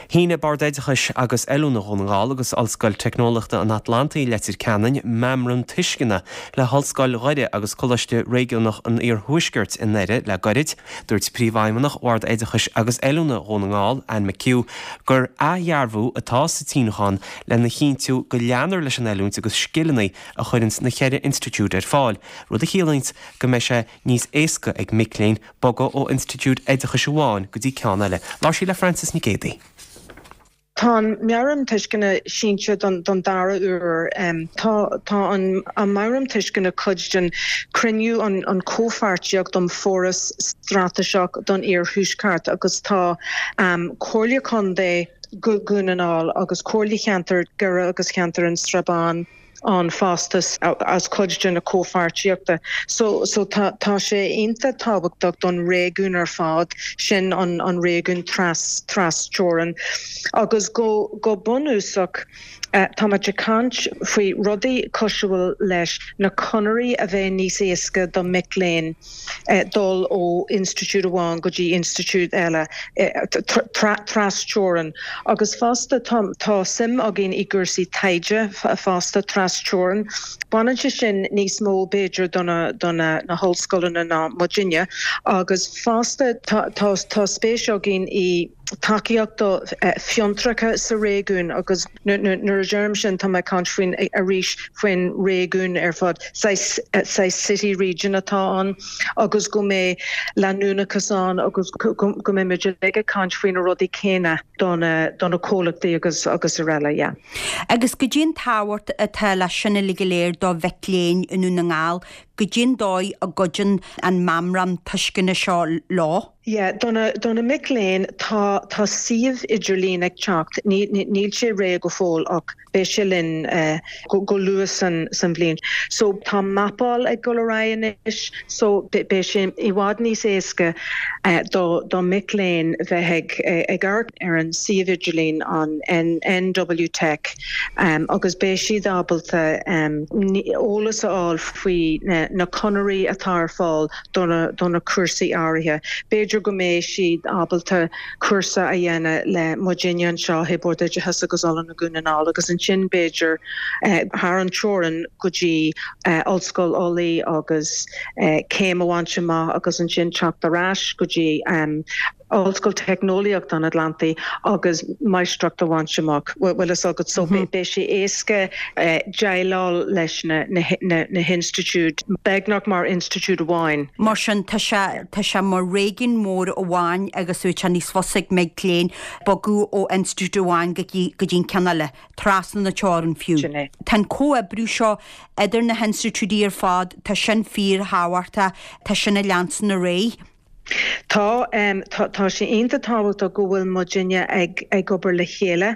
Shínigh Bord Oideachais agus Oiliúna Dhún na nGall agus Ollscoil Teicneolaíochta an Atlantaigh Leitir Ceanainn meamram tuisceana le hOllscoil Dhoire agus Coláiste Réigiúnach an Iarthuaiscirt i nDoire le goirid. Dúirt Príomhfheidhmeannach Bhord Oideachais agus Oiliúna Dhún na nGall, Anne McHugh, gur athdhearbhú atá sa tsíniúchán lena chinntiú go leanfar leis an oiliúint agus scileanna a chuireanns na cheithre institiúid ar fáil, rud a chiallaíonns go mbeidh sé níos éasca ag mic léinn bogadh ó institiúid oideachais amháin go dtí ceann eile. Labhair sí le Frances Nic Géadaigh. Tá an Meabhrán Tuisceana sínte don dara huair. Tá tá an Meabhrán Tuisceana cuid den cruinniú an Comhpháirtíocht um Foras Straitéiseach don Iarthuaisceart agus tá Comhairle Contae Dhún na nGall agus Comhairle Cheantar Dhoire agus Cheantar an Srath Bán ann fosta as cuid de na comhpháirtíochta. So so tá tá sé iontach tábhachtach don réigiún ar fad, sin an an réigiún tras trasteorann. Agus go go bunúsach táimid ag caint faoi rudaí cosúil leis na conairí a bheith níos éasca do mic léinn. dul ó institiúid amháin go dtí institiúid eile trasteorann agus fosta tá suim againn i gcúrsaí taighde fosta trasteorann. Baineann sé sin níos mó b'fhéidir do na do na hollscoileanna ná muidinne agus fosta tá spéis againn i tacaíocht do fiontracha sa réigiún agus nuair a deirim sin tá mé ag caint faoin arís faoin réigiún ar fad, saghas city region atá ann agus go mbeidh leanúnachas ann agus go mbeidh muid uilig ag caint faoi na rudaí céanna do na do na comhlachtaí agus agus araile, yeah. Agus goidé an tábhacht atá leis sin uilig go léir do mhic léinn i nDún na nGall, goidé an dóigh a gcuidíonn an meamram tuisceana seo leo? Yeah, do na, do na mic léinn, tá, tá suíomh idirlín ag teacht, ní, níl sé réidh go fóill ach beidh sé linn go, go luath san, san bhliain. So tá mapáil ag dul ar aghaidh anois so beidh sé i bhfad níos éasca. Do mhic léinn bheith ag ag amharc ar an suíomh idirlín an NW Tech agus beidh siad ábalta eolas a fháil faoi na conairí atá ar fáil do na cúrsaí áirithe. B'fhéidir go mbeidh siad ábalta cúrsa a dhéanamh le muidinne anseo i Bord Oideachais agus Oiliúna Dhún na nGall agus ansin b'fhéidir thar an teorainn go dtí Ollscoil Ulaidh agus céim a bhaint amach agus ansin teacht ar ais go dtí Ollscoil Teicneolaíochta an Atlantaigh agus máistreacht a bhaint amach, bhfuil fhios agat. So beidh sé éasca déileáil leis na na hinstitiúid beagnach mar institiúid amháin. Mar sin tá sé tá sé mar réigiún mór amháin agus bheadh sé níos fusa ag mic léinn bogadh ó institiúid amháin go dtí go dtí an ceann eile. trasna na teorann fiú. Sin é. Tá an comhoibriú seo idir na hinstitiúidí ar fad, tá sin fíorthábhachtach, tá sin ag leanstan ar aghaidh. Tá, tá sé iontach tábhachtach go bhfuil muidinne ag ag obair le chéile.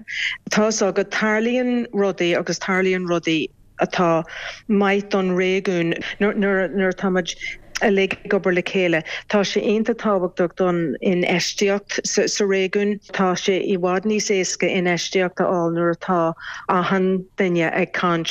Tá fhios agat, tarlaíonn rudaí agus tarlaíonn rudaí atá maith don réigiún nuair nuair atá muid uilig ag obair le chéile. Tá sé iontach tábhachtach don infheistíocht sa réigiún. Tá sé i bhfad níos éasca infheistíocht a fháil nuair atá achan duine ag caint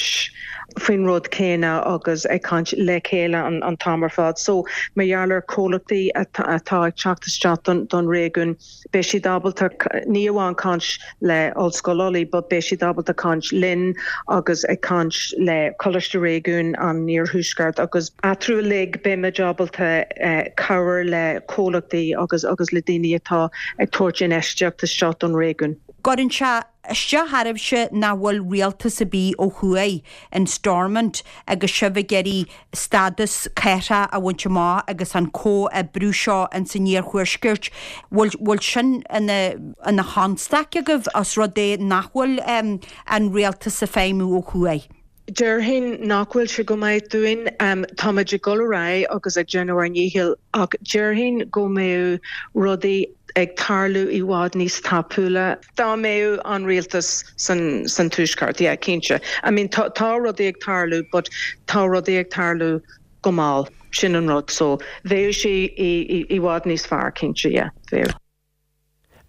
faoin rud céanna agus ag caint le chéile an t-am ar fad. So, mar gheall ar comhlachtaí atá ag teacht isteach don réigiún, Beidh siad ábalta ní amháin caint le Ollscoil Ulaidh but beidh siad ábalta caint linn agus ag caint le Coláiste Réigiúin an Iarthuaiscirt agus eatarthu uilig beimid ábalta cabhair le comhlachtaí agus agus le daoine atá ag tabhairt infheistíocht isteach don réigiún. Cuireann sé isteach oraibhse nach bhfuil rialtas ar bith ó thuaidh in Stormont agus sibh ag iarraidh stádas cathrach a bhaint amach agus an comhoibriú seo ins an iarthuaisceart, bhfuil, bhfuil sin ina, ina chonstaic agaibh os rud é nach bhfuil an rialtas ag feidhmiú ó thuaidh? Déarfainn nach bhfuil sé go maith dúinn. Táimid ag dul ar aghaidh agus ag déanamh ár ndícheall ach déarfainn go mbeadh rudaí ag tarlú i bhfad níos tapúla dá mbeadh an rialtas san tuaisceart. Yeah, cinnte. I mean tá rudaí ag tarlú but tá rudaí ag tarlú go mall. Sin an rud. So bheadh sé i bhfad níos fearr, cinnte, yeah, bheadh.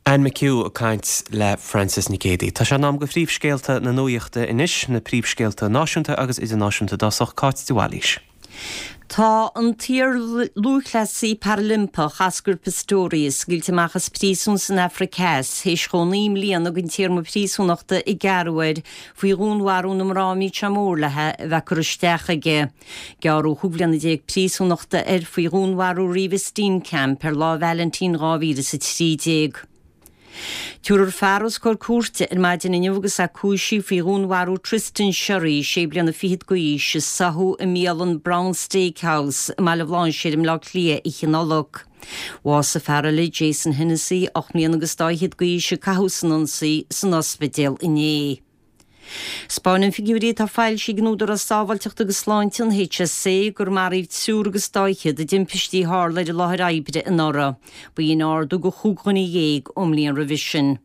Anne McHugh ag caint le Frances Nic Géadaigh. Tá sé in am do phríomhscéalta na nuachta anois, na príomhscéalta náisiúnta agus idirnáisiúnta i dtosach, Cáit de Bhailís. Tá an t-iar-lúthchleasaí Parailimpeach Oscar Pistorius scaoilte amach as príosún san Afraic Theas théis dhó 9 mbliana den téarma príosúnachta a gearradh air faoi dhúnmharú na mná a mbíodh sé mór léi a bheith curtha isteach aige. Gearradh 15 bhliana príosúnachta air faoi dhúnmharú Reeva Steenkamp ar Lá Vailintín 2013. Tabharfar fear os comhair cúirte ar maidin inniu agus é cúisithe faoi dhúnmharú Tristan Sherry, sé bliana fichead d'aois, i Soho i mbialann Brown Steak House i mBaile Bhlainséir i mBleá Cliath oíche Nollag. Bhásaigh fear eile, Jason Hennessy, 8 mbliana agus dá fhichead d'aois, a caitheadh san ionsaí, san ospidéal inné. 'Spáineann figiúirí atá foilsithe ag an Údarás Sábháilteachta agus Sláinte, an HSA, gur maraíodh triúr agus dá fhichead i dtimpistí a tharla ar an láthair oibre anuraidh. B'in ardú de chúig dhuine dhéag ón mbliain roimhe sin.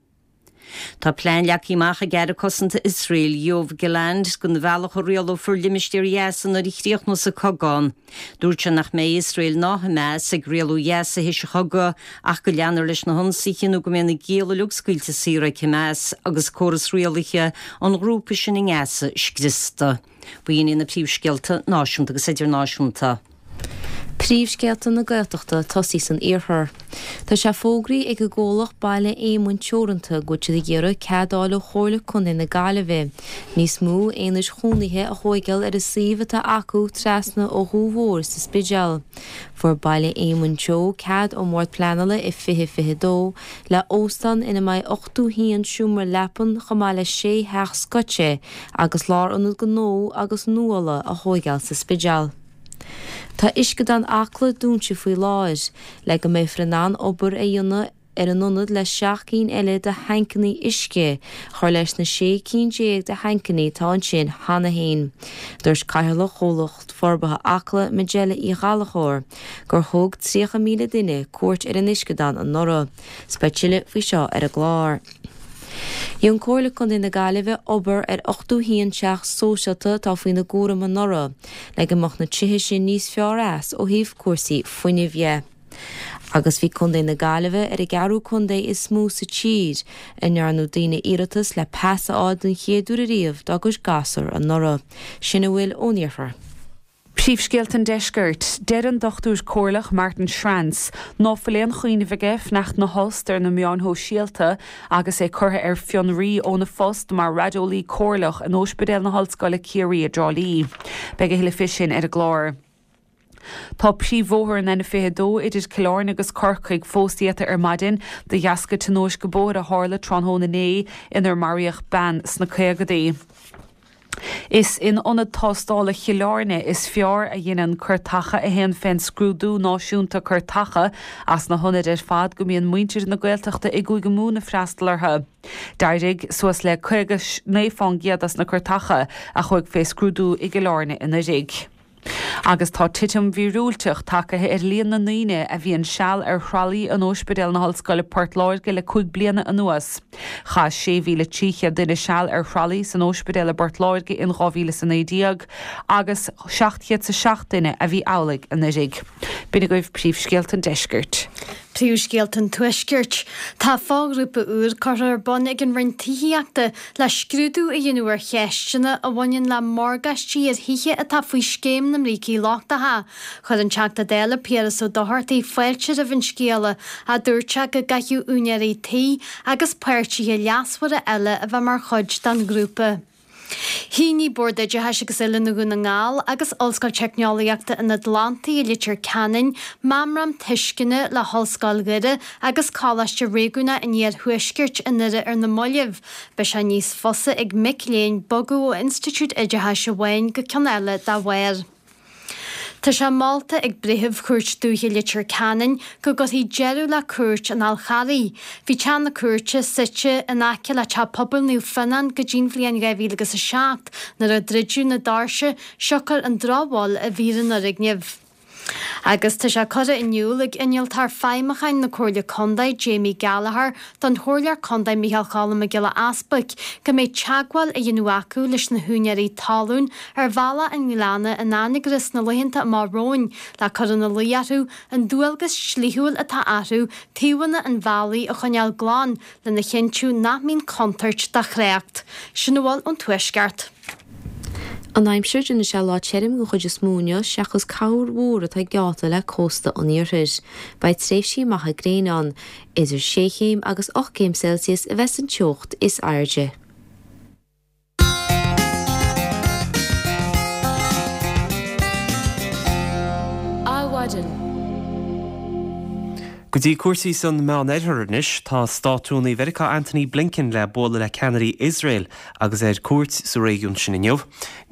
Tá plean leagtha amach ag Aire Cosanta Iosrael, Yoav Gallant, don bhealach a rialófar limistéar Ghaza nuair a chríochnós an cogadh. Dúirt sé nach mbeidh Iosrael ná Hamas ag rialú Ghaza théis an chogaidh ach go leanfar leis na hionsaithe nó go mbeidh na gialla uilig scaoilte saor ag Hamas agus córas rialaithe an ghrúpa sin i nGaza scriosta. B'in iad na príomhscéalta náisiúnta agus idirnáisiúnta. Príomhscéalta na Gaeltachta tosaí san iarthar. Tá sé fógraithe ag an gcomhlacht Baile Éamoinn Teoranta go bhfuil siad ag iarraidh cead a fháil ó Chomhairle Contae na Gaillimhe níos mó aonaid chónaithe a thóigeáil ar an suíomh atá acu trasna ó Dhumha Mhór sa Spidéal. Fuair Baile Éamoinn Teo cead ón mBord Pleanála i 2022 le óstán ina mbeidh 81 seomra leapan chomh maith le sé theach scoite agus lárionad gnó agus nuála a thóigeáil sa Spidéal. Tá Uisceadán Acla dúnta faoi láthair le go mbeifear in ann obair a dhéanamh ar an ionad le 7 gcinn eile de thancannaí uisce a chur leis na 16 cinn de thancannaí atá ansin cheana féin. Dúirt Cathaoirleach Chomhlacht Forbartha Acla, Majella Uí Ghallchóir, gur thug 30,000 duine cuairt ar an uisceadán anuraidh. 'S beidh tuilleadh faoi seo ar an gclár. Dhein Comhairle Contae na Gaillimhe obair ar 81 teach sóisialta atá faoina gcúram anuraidh le go mbeadh na tithe sin níos fearr as ó thaobh cúrsaí fuinnimh dhe. Agus bhí Contae na Gaillimhe ar an gceathrú contae is mó sa tír a ndearna daoine iarratas le pas a fháil den chéad uair ariamh dá gcuid gasúr anuraidh. Sin a bhfuil ón iarthar. Príomhscéalta an Deiscirt. Deir an Dochtúir Comhairleach Martin Schrantz ná fuil aon chuimhneamh aige fanacht 'na thost ar na meáin shóisialta agus é curtha ar fionraí óna phost mar raideolaí comhairleach in Óispidéal na hOllscoile Ciarraí i dTrá Lí. Beidh a thuilleadh fé sin ar an gclár. Tá príomhbhóthar an N22 idir Cill Airne agus Corcaigh fós iata ar maidin de dheasca tionóisce bóthair a tharla tráthnóna inné inar maraíodh bean sna caogadaí. Is in Ionad Tástála Chill Airne is fearr a dheineann cuirteacha a théann fén scrúdú náisiúnta cuirteacha as na hionaid ar fad go mbíonn muintir na Gaeltachta i gCúige Mumhan ag freastal orthu. D'éirigh suas le 59 fán gcéad as na cuirteacha a chuaigh fé scrúdú i gCill Airne anuiridh. Agus tá titim mhíorúilteach tagaithe ar líon na ndaoine a bhíonn seal ar thralaí in Óispidéal na hOllscoile Port Láirge le 5 bliana anuas. Chaith 6,300 duine seal ar thralaí san óispidéal i bPort Láirge in 2019 agus 707 duine a bhí amhlaidh anuiridh. B'in agaibh príomhscéalta an deiscirt. Príomhscéalta an Tuaiscirt. Tá foghrúpa úr curtha ar bun ag an Roinn Tithíochta le scrúdú a dhéanamh ar cheisteanna a bhaineann le morgáistí ar thithe atá faoi Scéim na mBrící Lochtacha. Chuir an Teachta Dála Piaras Ó Dochartaigh fáilte roimh an scéala, ach dúirt sé go gcaithfeadh úinéirí tí agus páirtithe leasmhara eile a bheith mar chuid den ghrúpa. Shínigh Bord Oideachais agus Oiliúna Dhún na nGall agus Ollscoil Teicneolaíochta an Atlantaigh i Leitir Ceanainn meamram tuisceana le hOllscoil Dhoire agus Coláiste Réigiúnach an Iarthuaiscirt i nDoire ar na mallaibh. Beidh sé níos fusa ag mic léinn bogadh ó institiúid oideachais amháin go ceann eile dá bharr. Tá sé molta ag Breitheamh Chúirt Dúiche Leitir Ceanainn go gcuirfí deireadh le Cúirt an Fhál Charraigh. Bhí teach na cúirte suite in aice le Teach Pobail Naomh Fionnán go dtí'n bhliain 2007 nuair a druideadh na doirse siocair an drochbhail a bhí ar an fhoirgneamh. Agus tá sé curtha in iúl ag Innealtóir Feidhmiúcháin na Comhairle Contae, Jamie Gallagher, don Chomhairleoir Contae Micheál Cholm Mac Giolla Easbuic go mbeidh teagmháil á dhéanamh acu leis na húinéirí talún ar Bhealach an Ghleanna in Anagaire sna laethanta amach romhainn le cur ina luí orthu an dualgas dlíthiúil atá orthu taobhanna an bhealaigh a choinneáil glan lena chinntiú nach mbíonn contúirt do thrácht. Sin a bhfuil ón Tuaisceart. An aimsir, Déanfaidh sé lá tirim den chuid is mó inniu seachas corr mhúr atá geallta le cósta an iarthair. Beidh tréimhsí maithe gréine ann. Idir sé chéim agus 8 gcéim Celsius a bheas an teocht is airde. Adhmhaidin. Go dtí cúrsaí san Meánoirthear anois. Tá Státrúnaí Mheiriceá Antony Blinken le bualadh le ceannairí Iosrael agus é ar cuairt sa réigiún sin inniu.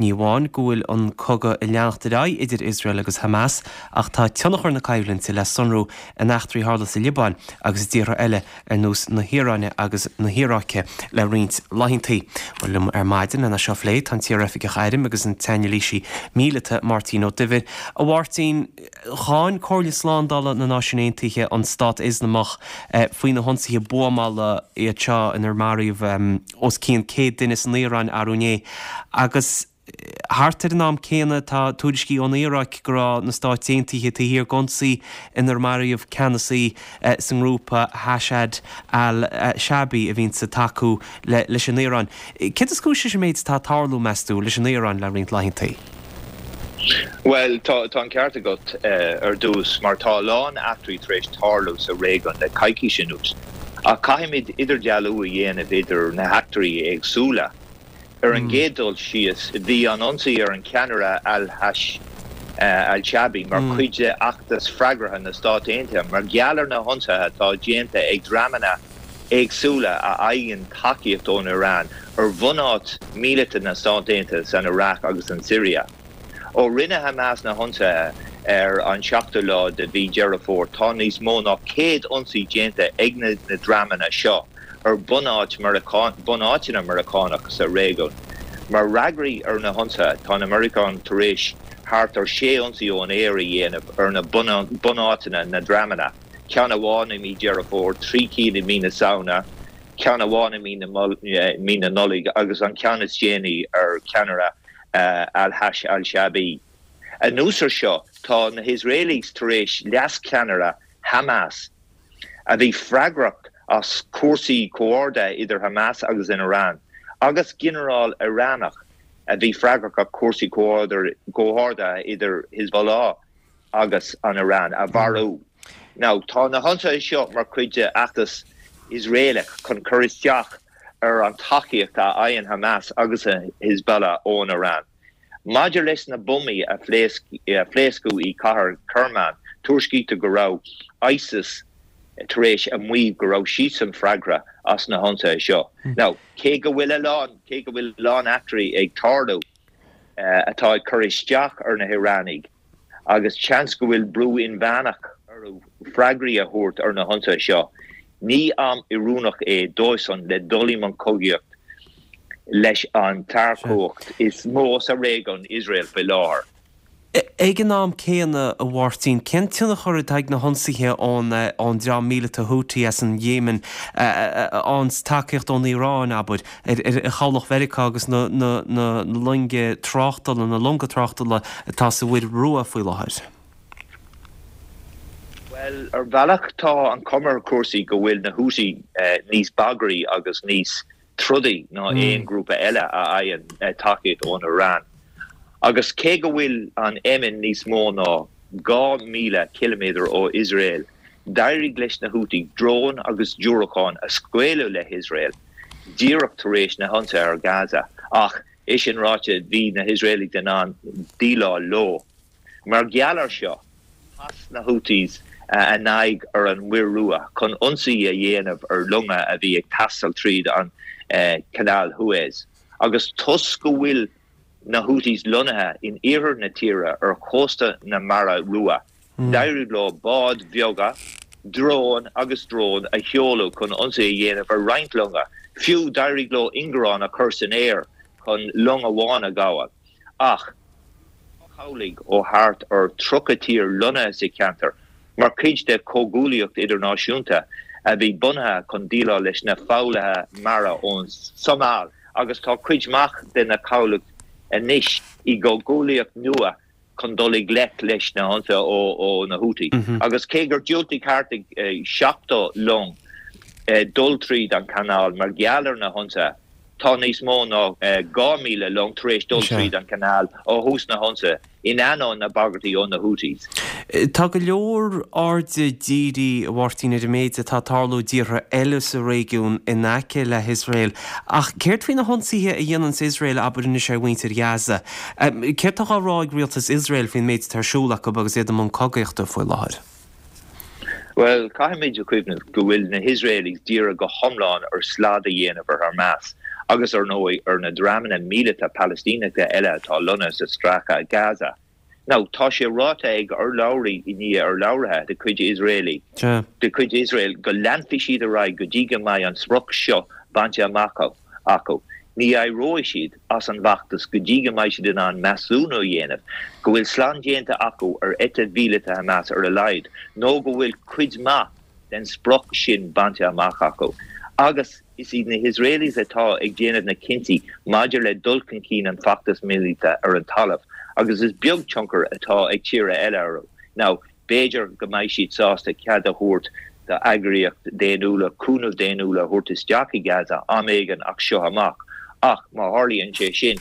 Ní amháin go bhfuil an cogadh ag leanacht ar aghaidh idir Iosrael agus Hamas ach tá tionchar na coimhlinte le sonrú in eachtraí a tharla sa Liobáin agus i dtíortha eile ar nós na hIaráine agus na hIaráice le roinnt laethantaí. Bhuel, liom ar maidin lena seo a phlé tá an t-iaroifigeach airm agus an t-anailísí míleata Máirtín Ó Duibhir. A Mháirtín, cháin Comhairle Slándála na Náisiún Aontaithe an Stát Ioslamach faoi na hionsaithe buamála iad seo inar maraíodh os cionn 100 duine san Iaráin arú inné agus Thart ar an am céanna, tá tuairiscí ón Iaráic go raibh na Stáit Aontaithe taobh thiar d'ionsaí inar maraíodh ceannasaí sa ngrúpa Hashad al-Shaabi a bhíonns ag tacú leis an Iaráin. Céard is cúis leis an méid atá ag tarlú, meas tú, leis an Iaráin le roinnt laethantaí? Bhuel, tá an ceart agat ar dtús, mar tá a lán eachtraí tar éis tarlú sa réigiún le coicís anuas. Ach caithfimid idirdhealú a dhéanamh idir na heachtraí éagsúla. Ar an gcéad dul síos, bhí an ionsaí ar an cheannaire Al-Hashd al-Shaabi mar chuid de fheachtas freagartha na Stát Aontaithe mar gheall ar na hionsaithe atá déanta ag dreamanna éagsúla a fhaigheann tacaíocht ón Iaráin ar bhunáit míleata na Stát Aontaithe san Iaráic agus an tSiria. Ó rinne Hamas na hionsaithe ar an seachtú lá de mhí Deireadh Fómhair, tá níos mó ná 100 ionsaí déanta ag na dreamanna seo ar bunáiteanna Meiriceánach sa réigiún. Mar fhreagraí ar na hionsaithe, tá na Meiriceánaigh tar éis thart ar 6 ionsaí ón aer a dhéanamh ar na bunáiteanna na dreamanna, ceann amháin i mí Deireadh Fómhair, 3 cinn i mí na Samhna, ceann amháin i mí na Nollag agus an ceann is déanaí ar cheannaire Al-Hashd al-Shaabi. Anuas ar seo, tá na hIosraelaigh tar éis leascheannaire. Hamas a bhí freagrach as cúrsaí comhordaithe idir Hamas agus an Iran, agus ginearál Ioránach a bhí freagrach as cúrsaí comhordaithe idir Hezbollah agus an Iran, a mharú. Now, tá na hionsaithe seo mar chuid de fheachtas Iosraelach chun cur isteach ar an tacaíocht a fhaigheann Hamas agus Hezbollah ón Iran. Maidir leis na buamaí a phléascadh i cathair Kerman, tuairiscítear go raibh ISIS tar éis a maíomh go raibh siadsan freagrach as na hionsaithe seo. Now, cé go bhfuil a lán, cé go bhfuil a lán eachtraí ag tarlú atá ag cur isteach ar na hIoránaigh, agus seans go bhfuil brú inmheánach orthu freagraí a thabhairt ar na hionsaithe seo, ní am oiriúnach é dóibhsan le dul i mbun cogaíocht leis an tsárchumhacht is mó sa réigiún, Iosrael, faoi láthair. Ag an am céanna, a Mháirtín, cén tionchar atá ag na hionsaithe ón dream míleata Houthi as an Yemen, an tacaíocht ón Iaráin, abair, ar chabhlach Mheiriceá agus na loinge tráchtála, na longa tráchtála atá sa Mhuir Rua faoi láthair? Bhuel, ar bhealach tá an chuma ar chúrsaí go bhfuil na Houthi níos bagraí agus níos trodaí ná aon ghrúpa eile a fhaigheann tacaíocht ón Iaráin. Agus cé go bhfuil an Éimin níos mó ná 2,000 ciliméadar ó Iosrael, d'éirigh leis na Houthi dróin agus diúracáin a scaoileadh le hIosrael díreach tar éis na hionsaithe ar Gaza. Ach é sin ráite, bhí na hIosraelaigh in ann déileáil leo. Mar gheall air seo, chas na Houthis a n-aghaidh ar an Muir Rua chun ionsaí a dhéanamh ar longa a bhí ag taisteal tríd an Chanáil Shuaez. Agus toisc go bhfuil na Houthis lonnaithe in iarthar na tíre ar chósta na Mara Rua, d'éirigh leo báid bheaga, dróin agus dróin a sheoladh chun ionsaí a dhéanamh ar roinnt longa. Fiú, d'éirigh leo ingearán a chur san aer chun long amháin a ghabháil. Ach tá cabhlaigh ó thart ar 30 tír lonnaithe sa cheantar mar chuid de chomhghuaillíocht idirnáisiúnta a bhí bunaithe chun déileáil leis na foghlaithe mara ón tSomáil agus tá cuid mhaith de na cabhlaigh anois i gcomhghuaillíocht nua chun dul i ngleic leis na hionsaithe ó na Houthi. Agus cé gur diúltaigh thart ar 70 long dul tríd an chanáil mar gheall ar na hionsaithe, Tá níos mó ná 2,000 long tar éis dul tríd an chanáil ó thús na hionsaithe, in ainneoin na bagairtí ó na Houthis. Tá go leor airde dírithe, a Mháirtín, ar an méid atá ag tarlú i dtíortha eile sa réigiún in aice le hIosrael. Ach céard faoi na hionsaithe a dhéananns Iosrael, abair anois, ar mhuintir Ghaza? Céard atá á rá ag rialtas Iosrael faoin méid atá ar siúl acu agus iad i mbun cogaíochta faoi láthair? Bhuel, caithfimid a chuimhneamh go bhfuil na hIosraelaigh dírithe go hiomlán ar slad a dhéanamh ar Hamas agus, ar ndóigh, ar na dreamanna míleata Palaistíneacha eile atá lonnaithe sa Stráice Gaza. Now, tá sé ráite ag urlabhraí i ndiaidh urlabhraithe de chuid Iosraelaigh, de chuid Iosrael go leanfaidh siad ar aghaidh go dtí go mbeidh an sprioc seo bainte amach acu. Ní éireoidh siad as an bhfeachtas go dtí go mbeidh siad in ann measúnú a dhéanamh go bhfuil slad déanta acu ar eite mhíleata Hamas ar a laghad nó go bhfuil cuid mhaith den sprioc sin bainte amach acu. Agus is iad na hIosraelaigh atá ag déanamh na cinntí maidir le dul chun cinn an feachtas míleata ar an talamh agus is beag tionchar atá ag tíortha eile orthu. Now, B'fhéidir go mbeidh siad sásta cead a thabhairt d'eagraíochtaí daonnúla cúnamh daonnúil a thabhairt isteach i Gaza am éigin as seo amach ach má tharlaíonn sé sin,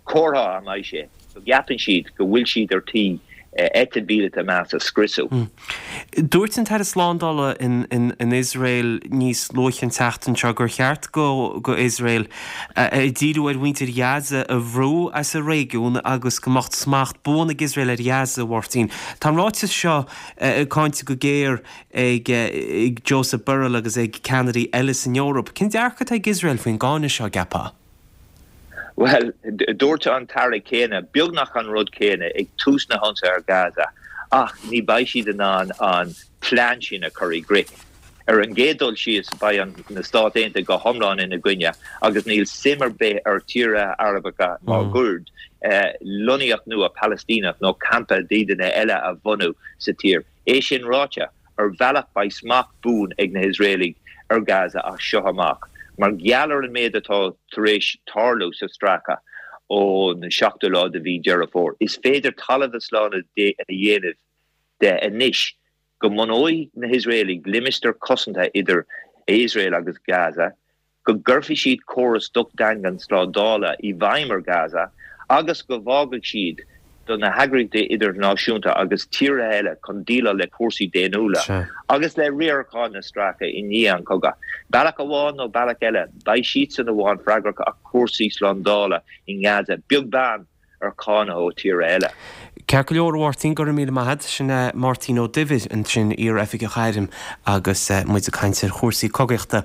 comhartha a mbeidh sé go gceapann siad go bhfuil siad ar tí eite mhíleata Hamas a scriosadh. Dúirt an tAire Slándála in Iosrael níos luaithe an tseachtain seo gur cheart go Iosrael díriú ar mhuintir Ghaza a bhrú as an réigiún agus go mbeadh smacht buan ag Iosrael ar Ghaza, a Mháirtín. Tá an ráiteas seo cáinte go géar ag Josep Borrell agus ag ceannairí eile san Eoraip. Cén dearcadh atá ag Iosrael faoin gcáineadh seo, an gceapfá? Bhuel, dúirt an tAire céanna beagnach an rud céanna ag tús na hionsaithe ar Gaza ach ní beidh siad in ann an plean sin a chur i gcrích. Ar an gcéad dul síos, beidh an na Stáit Aontaithe go hiomlán ina gcoinne agus níl suim ar bith ar tíortha Arabacha máguaird lonnaíocht nua Palaistíneach nó campa dídeanaithe eile a bhunú sa tír. É sin ráite, ar bhealach beidh smacht buan ag na hIosraelaigh ar Gaza as seo amach mar gheall ar an méid atá tar éis tarlú sa stráice ón seachtú lá de mhí Deireadh Fómhair. Is féidir talamh slán a dhéanamh de anois. Go mbunóidh na hIosraelaigh limistéar cosanta idir Iosrael agus Gaza, go gcuirfidh siad córas docht daingean slándála i bhfeidhm ar Gaza agus go bhfágfaidh siad do na heagraíochtaí idirnáisiúnta agus tíortha eile chun déileáil le cúrsaí daonnúla agus le riarachán na Stráice i ndiaidh an chogaidh. Bealach amháin nó bealach eile, beidh siadsan amháin freagrach as cúrsaí slándála i nGaza, beag beann ar cháineadh ó tíortha eile. Ceart go leor, a Mháirtín, go raibh míle maith agat. Sin é Máirtín Ó Duibhir ansin, iar-oifigeach airm agus muid ag caint ar chúrsaí cogaíochta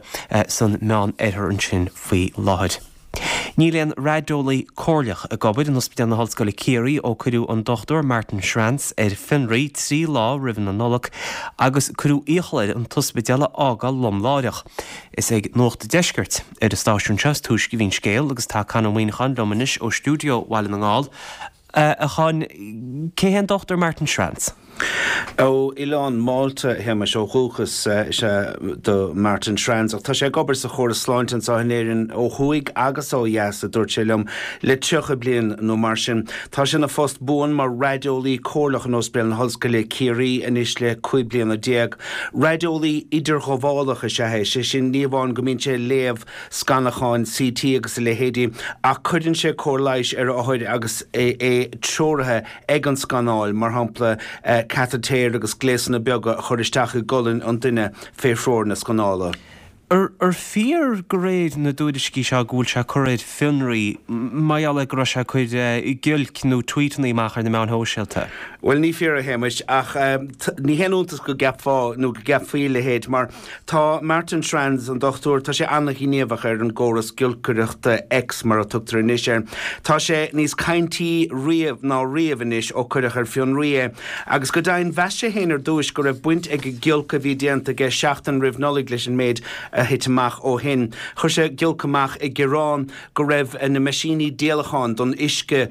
san Meán Oirthear ansin faoi láthair. Níl aon raideolaí comhairleach ag obair in Ospidéal na hOllscoile Ciarraí ó cuireadh an Dr Martin Schranz ar fionraí 3 lá roimh na Nollag agus cuireadh iachall air an t-ospidéal a fhágáil lom láithreach. Is ag Nuacht an Deiscirt ar an stáisiún seo is túisce a bhí an scéal agus tá Conn Ó Muíneacháin liom anois ó stiúideo Bhaile na nGall. A Chonn, cé hé an Dr Martin Schranz? Ó Oileán Mhálta, a Shéamais, ó dhúchas is ea do Martin Schranz ach tá sé ag obair sa chóras sláinte anseo in Éirinn ó thuaidh agus ó dheas, a dúirt sé liom, le 30 bliain nó mar sin. Tá sé ina phost buan mar raideolaí comhairleach in Ospidéal na hOllscoile, Ciarraí, anois le 15 bliana. Raideolaí idirghabhálach is ea é, sé sin, ní amháin go mbíonn sé ag léamh scanacháin CT agus a leithéidí, ach cuireann sé cóir leighis ar othair agus é treoraithe ag an scanáil, mar shampla cataitéir agus gléasanna beaga a chur isteach i gcolainn an duine fé threoir na scanála. Ar fíor de réir na dtuairiscí seo go bhfuil sé curtha ar fionraí mar gheall ar go raibh sé ag cur giolc nó tweetanna amach ar na meáin shóisialta? Bhuel, ní fíor, a Shéamais, ach ní haon iontas go gceapfá nó go gceapfaí a leithéid mar tá Martin Schranz, an dochtúir, tá sé an-ghníomhach ar an gcóras giolcaireachta X mar a tugtar anois air. Tá sé níos caintí riamh ná riamh anois ó cuireadh ar fionraí é. Agus go deimhin, mheas sé féin ar dtúis go raibh baint ag an giolc a bhí déanta aige seachtain roimh Nollaig leis an méid a thit amach ó shin. Chuir sé giolc amach ag gearán go raibh na meaisíní díolacháin don uisce,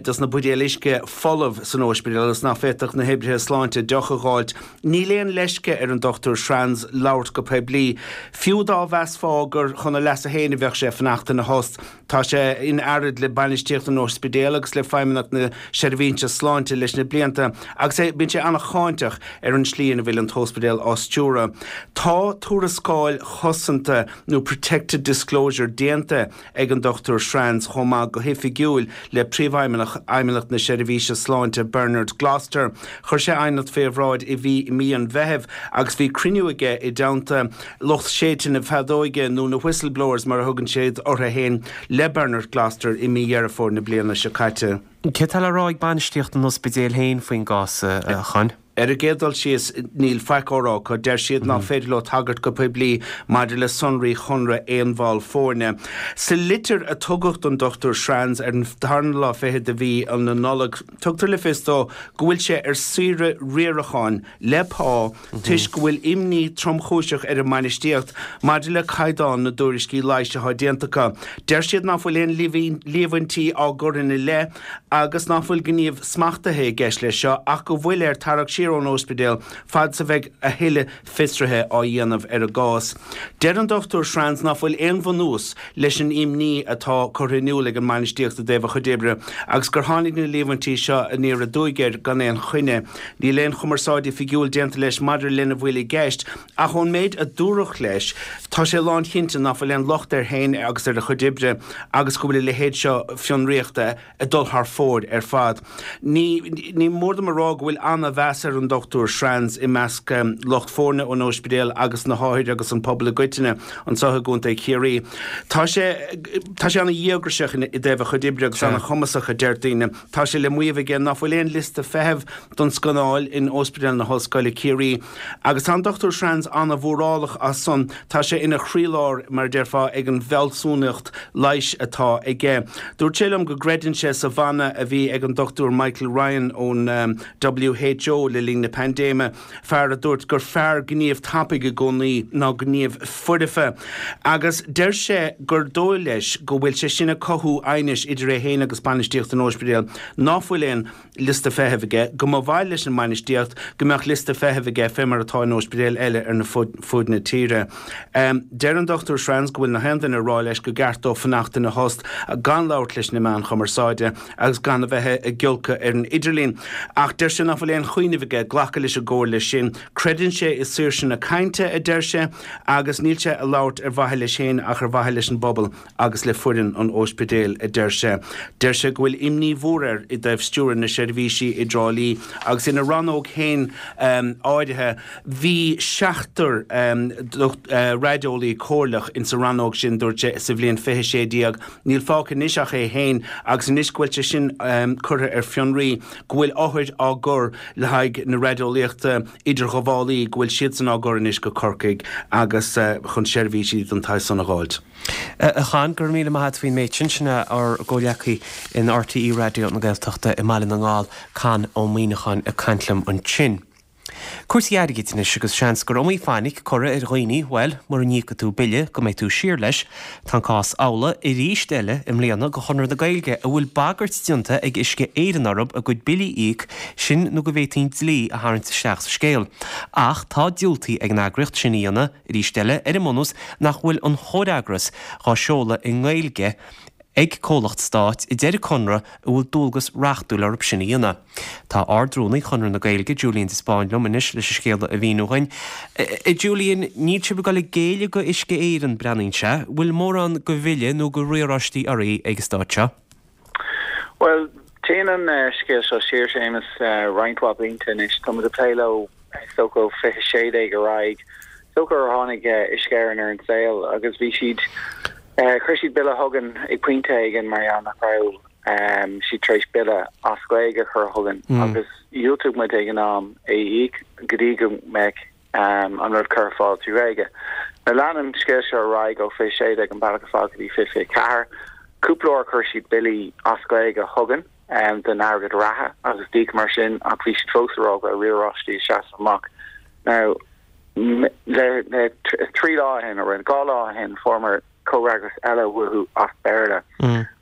dos na buidéil uisce, folamh san óispidéal agus nach bhféadfadh na hoibrithe sláinte deoch a dh'fháilt. Níl aon leisce ar an Dr Schranz labhairt go poiblí, fiú dá mheasfá gur chun a leasa féin a bheadh sé fanacht ina thost. Tá sé in earraid le bainistíocht an ospidéil agus le Feidhmeannacht na Seirbhíse Sláinte leis na blianta agus é bíonn sé an-cháinteach ar an slí ina bhfuil an t-ospidéal á stiúradh. Tá tuarascáil chosanta nó protected disclosure déanta ag an Dr Schranz chomh maith go hoifigiúil le Príomhfheidhmeannach Fheidhmeannacht na Seirbhíse Sláinte Bernard Gloster. Chuir sé aighneacht fé bhráid i mí an Mheithimh agus bhí cruinniú aige i dteannta lucht séidte na feadóige, nó na whistleblowers mar a thugann siad orthu féin, le Bernard Gloster i mí Dheireadh Fómhair na bliana seo caite. Céard tá le rá ag bainistíocht an ospidéil féin faoin gcás, a Chonn? Ar an gcéad dul síos, níl faic á rá acu. Deir siad nach féidir leo tagairt go poiblí maidir le sonraí chonradh aon bhall foirne. Sa litir a tugadh don Dr Schranz ar an tarna lá fichead de mhí na Nollag, tugtar le fios dó go bhfuil sé ar saoire riaracháin le pá toisc go bhfuil imní tromchúiseach ar an mbainistíocht maidir le caighdeán na dtuairiscí leighis atá déanta acu. Deir siad nach bhfuil aon líomhaintí á gcur ina leith agus nach bhfuil gníomh smachtaithe i gceist leis seo ach go bhfuil air tarrac siar ón óispidéal fad is a bheidh a thuilleadh fiosruithe á dhéanamh ar an gcás. Deir an Dr Schranz nach bhfuil aon bhunús leis an imní atá curtha in iúl ag an mbainistíocht i dtaobh a chuid oibre agus gur tháinig na líomhaintí seo aniar aduaidh air gan aon choinne. Níl aon chumarsáid oifigiúil déanta leis maidir lena bhfuil i gceist ach ón méid a dúradh leis tá sé lánchinnte nach bhfuil aon locht air féin agus ar a chuid oibre agus go bhfuil a leithéid seo fionraíochta ag dul thar fóir ar fad. Ní ní mór dom a rá go bhfuil an-mheas ar an Dr Schranz i measc lucht foirne an óispidéil agus na hothair agus an pobal i gcoitinne anseo i gContae Chiarraí. Tá sé tá sé an-dhíograiseach i dtaobh a chuid oibre agus an-chumasach a deir daoine. Tá sé le maíomh aige nach bhfuil aon liosta feithimh don scanáil in Óispidéal na hOllscoile Ciarraí agus tá an Dr Schranz an-mhórálach as san. Tá sé ina chroílár, mar a déarfá, ag an bhfealsúnacht leighis atá aige. Dúirt sé liom go gcreideann sé sa mhana a bhí ag an Dr Michael Ryan ón WHO le linn na paindéime, fear a dúirt gur fearr gníomh tapaidh i gcónaí ná gníomh foirfe. Agus deir sé gur dóigh leis go bhfuil sé sin ag cothú aighnis idir é féin agus bainistíocht an óispidéil ná fuil aon liosta feithimh aige, go mba mhaith leis an mbainistíocht go mbeadh liosta feithimh aige fé mar atá in óispidéil eile ar na fuaid na tíre. Deir an Dr Schranz go bhfuil na haon duine ag rá leis go gceart dó fanacht ina thost, gan labhairt leis na meáin chumarsáide agus gan a bheith ag giolcadh ar an idirlíon. Ach deir sé nach bhfuil aon chuimhneamh aige. aige glacadh leis an gcomhairle sin. Creideann sé i saoirse na cainte, a deir sé, agus níl sé ag labhairt ar mhaithe leis féin ach ar mhaithe leis an bpobal agus le foireann an óispidéil, a deir sé. Deir sé go bhfuil imní mhór air i dtaobh stiúradh na seirbhísí i dTrá Lí agus ina rannóg féin áirithe. Bhí seachtar raideolaí comhairleach insa rannóg sin, dúirt sé, sa bhliain 2016. Níl fágtha anois ach é féin agus anois go bhfuil sé sin curtha ar fionraí, go bhfuil othair á gcur le haghaidh na raideolaíochta idirghabhálaí, go bhfuil siadsan á gcur anois go Corcaigh agus chun seirbhísí den tsaghas san a dh'fháilt. A Chon, go raibh míle maith a't faoin méid sin. Sin é ár gcomhghleacaí in RTÉ Raidió na Gaeltachta i mBaile na nGall, Conn Ó Muíneacháin ag caint liom ansin. Cúrsaí airgid anois agus seans gur iomaí fainic curtha ar dhaoine, bhuel, mura n-íocfaidh tú bille go mbeidh tú siar leis. Tá an cás amhlaidh arís eile i mbliana go Chonradh na Gaeilge a bhfuil bagairt déanta ag Uisce Éireann orthu a gcuid billí a íoc, sin nó go bhféadfaí an dlí a tharraingt isteach sa scéal. Ach tá diúltaithe ag an eagraíocht sin a dhéanamh arís eile ar an mbunús nach bhfuil an chomhfhreagras dhá seoladh i nGaeilge ag comhlacht stáit a deir an Conradh a bhfuil dualgas reachtúil orthu sin a dhéanamh. Tá Ard-Rúnaí Chonradh na Gaeilge, Julian de Spáinn liom anois leis an scéal a mhíniú dhuinn. A Julian, níl sibh ag dul ag géilleadh go Uisce Éireann, breathnaíonn sé. Bhfuil mórán go bhille nó go riaráistí oraibh ag an stáit seo? Bhuel, téann an scéal seo siar, Séamus, roinnt mhaith blianta anois. Tá muid ag plé leo is dócha ó 2016 ar aghaidh. Is dócha ó tháinig Uisce Éireann ar an saol agus bhí siad, chuir siad bille chugainn ag pointe éigin mar gheall nach raibh siad tar éis bille as Gaeilge a chur chugainn agus dhiúltaigh muid ag an am é a íoc go dtí go mbeadh an rud curtha ar fáil trí Ghaeilge. Now lean an scéal seo ar aghaidh ó 2016 an bealach ar fad go dtí 2024. Cúpla uair chuir siad billí as Gaeilge chugainn. den airgead reatha agus d'íocamar sin ach bhí siad fós ag rá go raibh riaráistí ag seasamh amach. Now le le trí lá ó shin, nó dhá lá ó shin, fuaireamar comhfhreagras eile uathu as Béarla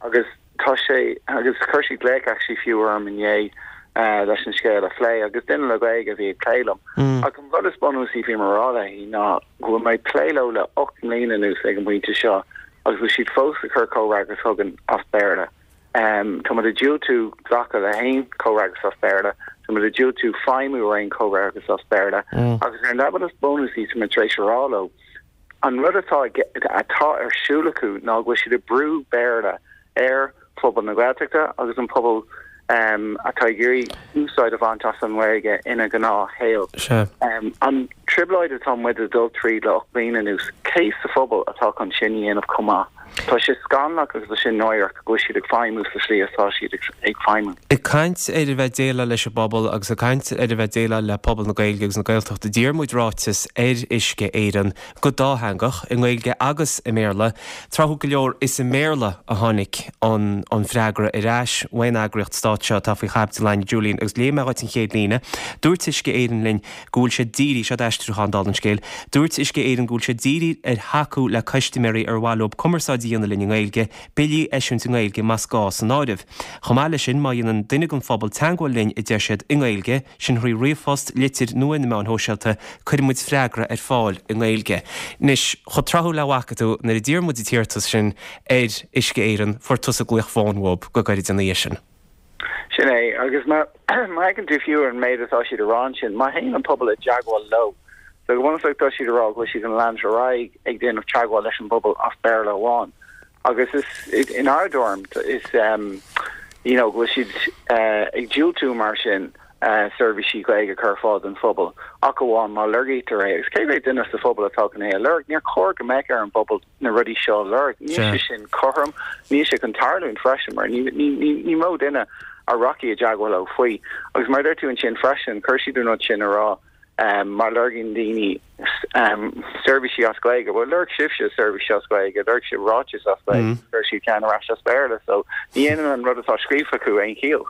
agus tá sé, agus chuir siad glaoch actually fiú orm inné leis an scéal a phlé agus duine le Gaeilge a bhí ag plé liom. Ach an rud is bunúsaí a bhí mé a rá léi ná go bhfuil mé ag plé leo le 8 mbliana anuas ag an bpointe seo agus bhfuil siad fós ag cur comhfhreagras chugainn as Béarla. Tá muid ag diúltú glacadh le haon chomhfhreagras as Béarla, tá muid ag diúltú feidhmiú ar aon chomhfhreagras as Béarla agus ar an leibhéal is bunúsaí tá muid tar éis a rá leo, an rud atá atá ar siúl acu ná go bhfuil siad ag brú Béarla ar phobal na Gaeltachta agus an pobal atá ag iarraidh úsáid a bhaint as an nGaeilge ina ngnáthshaol. An trioblóid atá muid ag dul tríd le 8 bliana anuas, cé sa phobal atá chun sin a dhéanamh chomh maith? Tá sé scannalach agus tá sé náireach go bhfuil siad ag feidhmiú sa slí atá siad ag feidhmiú. Ag caint ar a bheith ag déileáil leis an bpobal agus ag caint ar a bheith ag déileáil le pobal na Gaeilge agus na Gaeltachta, d'iarr muid ráiteas ar Uisce Éireann go dátheangach, i nGaeilge agus i mBéarla. Tráthúil go leor, is i mBéarla a tháinig an freagra ar ais ón eagraíocht stáit seo atá faoi chaibidil againn, Julian, agus léifidh mé dhuit an chéad líne. Dúirt Uisce Éireann linn go bhfuil siad dírithe, seo aistriúchán dála an scéil, dúirt Uisce Éireann go bhfuil siad dírithe ar thacú le custaiméirí ar mhaith leo cumarsáid a dhéanamh linn i nGaeilge, billí a eisiúint i nGaeilge más gá san áireamh. Chomh maith leis sin, má dhéanann duine den phobal teagmháil linn, a deir siad, i nGaeilge, sin thrí ríomhphost, litir nó ar na meáin shóisialta, cuirfidh muid freagra ar fáil i nGaeilge. Anois, chomh tráthúil le bhfaca tú, nuair a d'iarr muid an t-iarratas sin ar Uisce Éireann, fuair tusa glaoch fóin uathu go gairid ina dhiaidh sin. Sin é, agus má fheiceann tú fiú ar an méid atá siad a rá ansin, má théann an pobal i dteagmháil leo, so go bunúsach tá siad a rá go bhfuil siad chun leanúint ar aghaidh ag déanamh teagmháil leis an bpobal as Béarla amháin. Agus is, inár dtuairim, is you know go bhfuil siad ag diúltú mar sin seirbhísí Gaeilge a chur ar fáil don phobal ach amháin má lorgaítear é. Agus cé mhéad duine sa phobal atá chun é a lorg? Níor chóir go mbeadh ar an bpobal na rudaí seo a lorg. Níl sé sin cothrom, níl sé chun tarlúint freisin mar ní ní mó duine a rachaidh i dteagmháil leo faoi. Agus mar a deir tú ansin freisin, chuir siad an rud sin a rá má lorgaíonn daoine seirbhísí as Gaeilge, bhuel lorg sibhse seirbhísí as Gaeilge, lorg sibh ráiteas as Gaeilge, chuir siad ceann ar ais as Béarla, so ní dhéanann an rud atá scríofa acu aon chiall.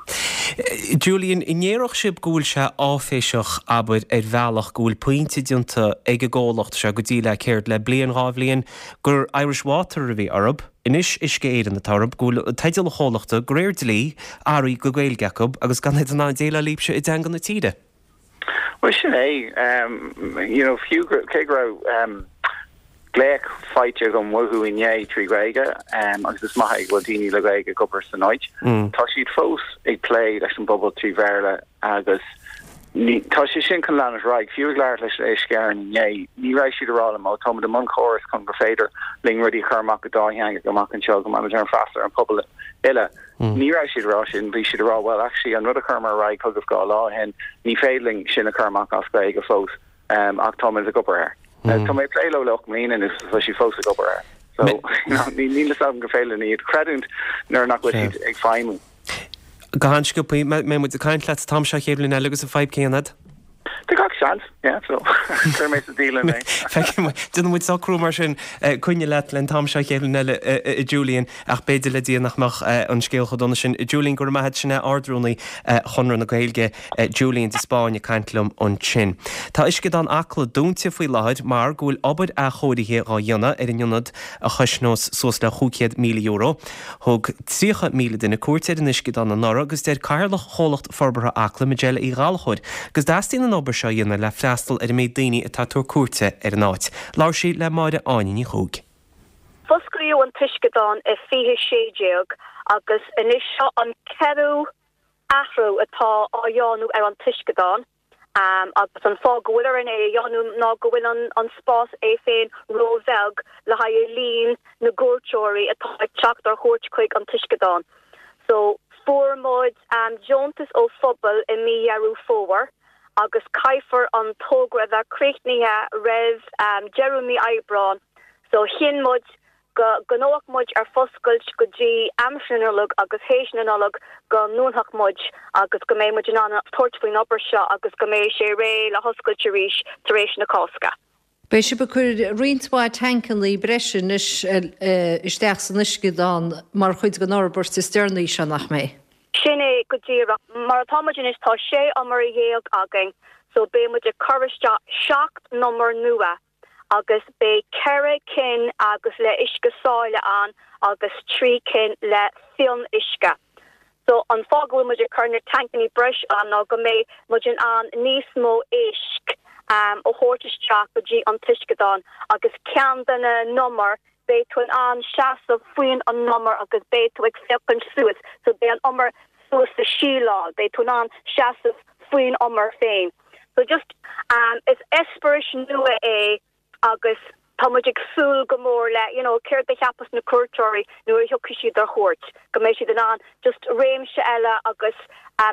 Julian, an ndéarfadh sibh go bhfuil sé áiféiseach, abair, ar bhealach, go bhfuil pointe déanta ag an gcomhlacht seo go dtí le, céard, le bliain, dhá bhliain, gur Irish Water a bhí orthu, anois Uisce Éireann atá orthu, go bhfuil teideal an chomhlachta, de réir dlí, athraithe go Gaeilge acu agus gan iad in ann déileáil libhse i dteanga na tíre? Bhuel, sin é. You know, fiú cé go raibh glaoch faighte agam uathu inné trí Ghaeilge, agus is maith é go bhfuil daoine le Gaeilge ag obair san áit, tá siad fós ag plé leis an bpobal trí Bhéarla agus. Ní, tá sé sin chun leanúint ar aghaidh. Fiú ag labhairt leis Uisce Éireann inné, ní raibh siad ag rá liom, ó táimid i mbun córas chun gur féidir linn rudaí a chur amach go dátheangach amach anseo, go mbeimid in ann freastal ar an pobal uile. Ní raibh siad ag rá sin, bhí siad ag rá, well actually an rud a chuireamar ar aghaidh chugaibh 2 lá ó shin, ní féidir linn sin a chur amach as Gaeilge fós, ach táimid ag obair air. Tá mé ag plé leo le 8 mbliana anois agus tá siad fós ag obair air. So, níl fhios agam gur féidir linn iad a chreidiúint nuair nach bhfuil siad ag feidhmiú. Go han-sciobtha, mbeidh muid ag caint leat an t-am seo chéad bhliain eile agus an fadhb céanna agat? Tá gach seans, yeah, so cuirfidh mé sa dialann é. Feicfidh muid, déanfaidh muid socrú mar sin coinne leat le an t-am seo chéad bhliain eile, a Julian, ach b'fhéidir le Dia nach mbeadh an scéal chomh dona sin. Julian, go raibh maith agat, sin é Ard-Rúnaí Chonradh na Gaeilge, Julian de Spáinn ag caint liom ansin. Tá Uisceadán Acla dúnta faoi láthair mar go bhfuil obair athchóirithe dhá dhéanamh ar an ionad a chosnós suas le €500,000. Thug 30,000 duine cuairt ar an uisceadán anuraidh agus deir Cathaoirleach Chomhlacht Forbartha Acla, Majella Uí Ghallchóir, go dteastaíonn an obair seo a dhéanamh le freastal ar an méid daoine atá ag tabhairt cuairte ar an áit. Labhair sí le Máire Áine Ní Chuaig. Fosclaíodh an t-uisceadán i 2016 agus anois seo an ceathrú athrú atá á dhéanamh ar an t-uisceadán. Agus an fáth go bhfuil orainn é a dhéanamh ná go bhfuil an spás é féin ró-bheag le haghaidh líon na gcuairteoirí atá ag teacht ar chuairt chuig an t-uisceadán. So, fuair muid deontas ó phobal i mí Dheireadh Fómhair agus caithfear an togra a bheith críochnaithe roimh deireadh mí Aibreán. So, chinn muid go gcoinneodh muid ar foscailt go dtí aimsir na Nollag agus théis na Nollag go ndúnfadh muid agus go mbeidh muid in ann tabhairt faoin obair seo agus go mbeidh sé réidh le hoscailt arís tar éis na Cásca. Beidh sibh ag cur roinnt mhaith tancannaí breise anois isteach san uisceadán mar chuid den fhorbairt is deireanaí seo, nach mbeidh? Sin é go díreach. Mar atá muid anois tá sé umar dhéag againn so beidh muid ag cur isteach 7 n-umar nua agus beidh 4 cinn agus le uisce sáile ann agus 3 cinn le fionnuisce. So an fáth go bhfuil muid ag cur na tancannaí breis ann ná go mbeidh muid in ann níos mó éisc a thabhairt isteach go dtí an t-uisceadán agus ceann de na n-umar beidh tú in ann seasamh faoin an umar agus beidh tú ag féachaint suas so beidh an umar suas sa síleáil beidh tú in ann seasamh faoin umar féin. So just, is eispéireas nua é agus tá muid ag súil go mór le, you know, céard a cheapfas na cuairteoirí nuair a thiocfaidh siad ar chuairt, go mbeidh siad in ann just réimse eile agus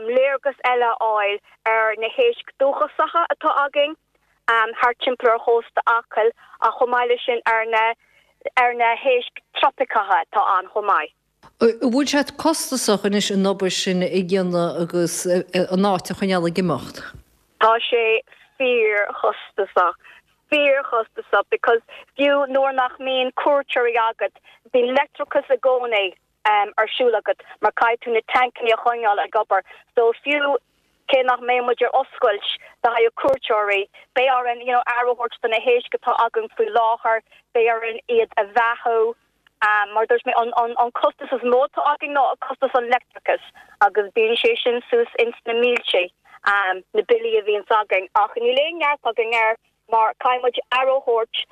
léargas eile a fháil ar na héisc dúchasacha atá againn thart timpeall ar chósta Acaill ach chomh maith leis sin ar na ar na héisc tropaiceacha atá ann chomh maith. An bhfuil sé costasach anois an obair sin a dhéanamh agus an áit a choinneáil ag imeacht? Tá sé fíor-chostasach. Fíor-chostasach because fiú nuair nach mbíonn cuairteoirí agat, bíonn leictreachas i gcónaí ar siúl agat mar caithfidh tú na tancannaí a choinneáil ag obair. So fiú cé nach mbeidh muid ar oscailt do haghaidh cuairteoirí, beidh orainn you know aire a thabhairt do na héisc atá againn faoi láthair, beidh orainn iad a bheathú. Mar dúirt mé, an costas is mó atá againn ná costas an leictreachais agus bíonn sé sin suas ins na mílte, na billí a bhíonns againn. Ach níl aon neart againn air mar caithfidh muid aire a thabhairt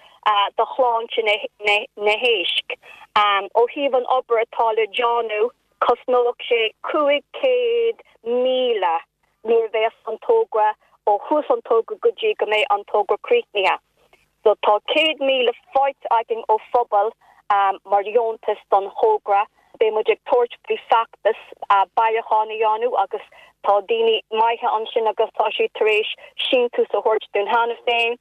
do shláinte na héisc. Ó thaobh an obair atá le déanamh, cosnóidh sé 500,000 nuair a bheas an togra ó thús an togra go dtí go mbeidh an togra críochnaithe. So tá 100,000 faighte againn ó phobal mar dheontas don thogra. Beidh muid ag tabhairt faoi feachtas bailiúcháin a dhéanamh agus tá daoine maithe ansin agus tá siad tar éis síntiús a thabhairt dúinn cheana féin.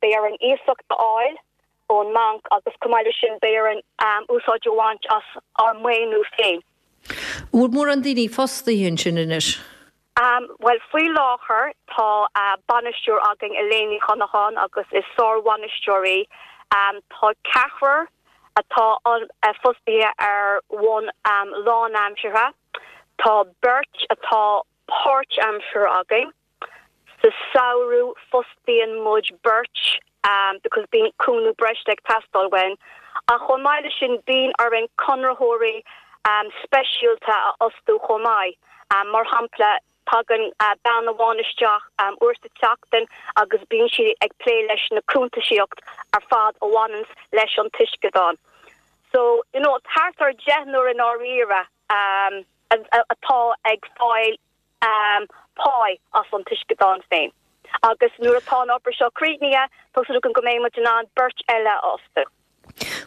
Beidh orainn iasacht a fháil ón mbanc agus chomh maith leis sin beidh orainn úsáid a bhaint as ár maoiniú féin. An bhfuil mórán daoine fostaithe ansin anois? Bhuel, faoi láthair tá bainisteoir againn, Elaine Ní Chonacháin, agus is sár-bhainisteoir í. Tá ceathrar atá fostaithe ar bhonn lánaimseartha. Tá beirt atá páirtaimseartha againn. Sa samhradh fostaíonn muid beirt because bíonn cúnamh breise ag teastáil uainn. Ach chomh maith leis sin bíonn orainn conraitheoirí speisialta a fhostú chomh maith. Mar shampla, tagann bean amháin isteach uair sa tseachtain agus bíonn sí ag plé leis na cuntasaíocht ar fad a bhaineanns leis an t-uisceadán. So, you know, thart ar deichniúr i ndáiríre atá ag fáil. páí as an t-uisceadán féin. Agus nuair atá an obair seo críochnaithe, tá súil agam go mbeidh muid in ann beirt eile a fhostú.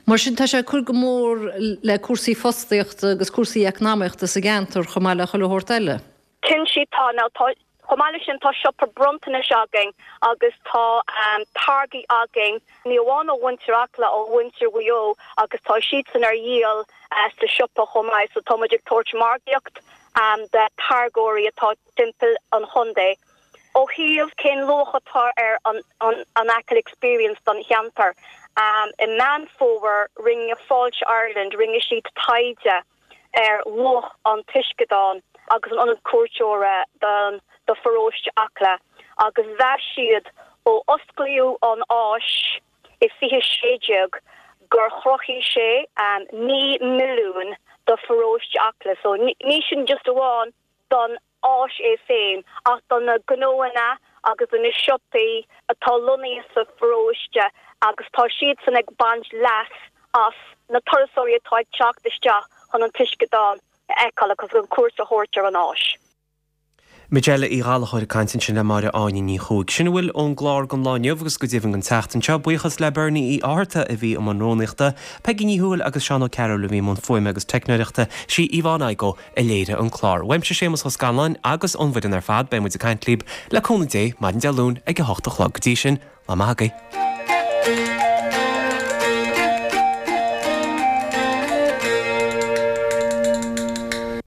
Mar sin, tá sé ag cur go mór le cúrsaí fostaíochta agus cúrsaí eacnamaíochta sa gceantar chomh maith le chuile shórt eile. Cinnte tá. Now tá, chomh maith leis sin tá siopa bronntanais againn agus tá táirgí againn, ní amháin ó mhuintir Acla, ó mhuintir Mhaigh Eo agus tá siadsan ar dhíol sa siopa chomh maith. So tá muid ag tabhairt margaíocht do táirgeoirí atá timpeall an chontae. Ó thaobh cén luach atá ar an Achill Experience don cheantar, i Meán Fómhair rinne Fáilte Ireland, rinne siad taighde ar luach an t-uisceadán agus an ionad cuairteora don do pharóiste Acla agus mheas siad ó osclaíodh an áis i 2016 gur chruthaigh sé 9 milliún do pharóiste Acla. So ní sin just amháin don áis é féin ach do na gnóanna agus do na siopaí atá lonnaithe sa pharóiste agus tá siadsan ag baint leas as na turasóirí atá ag teacht isteach chun an t-uisceadán a fheiceáil agus chun cuairt a thabhairt ar an áis. Majella Uí Ghallchóir ag caint ansin le Máire Áine Ní Chuaig. Sin a bhfuil ón gclár don lá inniu agus go deimhin don tseachtain seo. Buíochas le Bernie Uí Fhátharta a bhí i mbun rúnaíochta, Peigí Ní Thuathail agus Seán Ó Cearúil a bhí i mbun fuaime agus teicneoireachta, sí Yvonne Igoe a léirigh an clár. Uaimse Séamus Ó Scanláin agus ón bhfoireann ar fad, beidh muid ag caint libh le cúnamh Dé maidin Dé Luain ag a hocht a chlog. Go dtí sin, lá maith agaibh.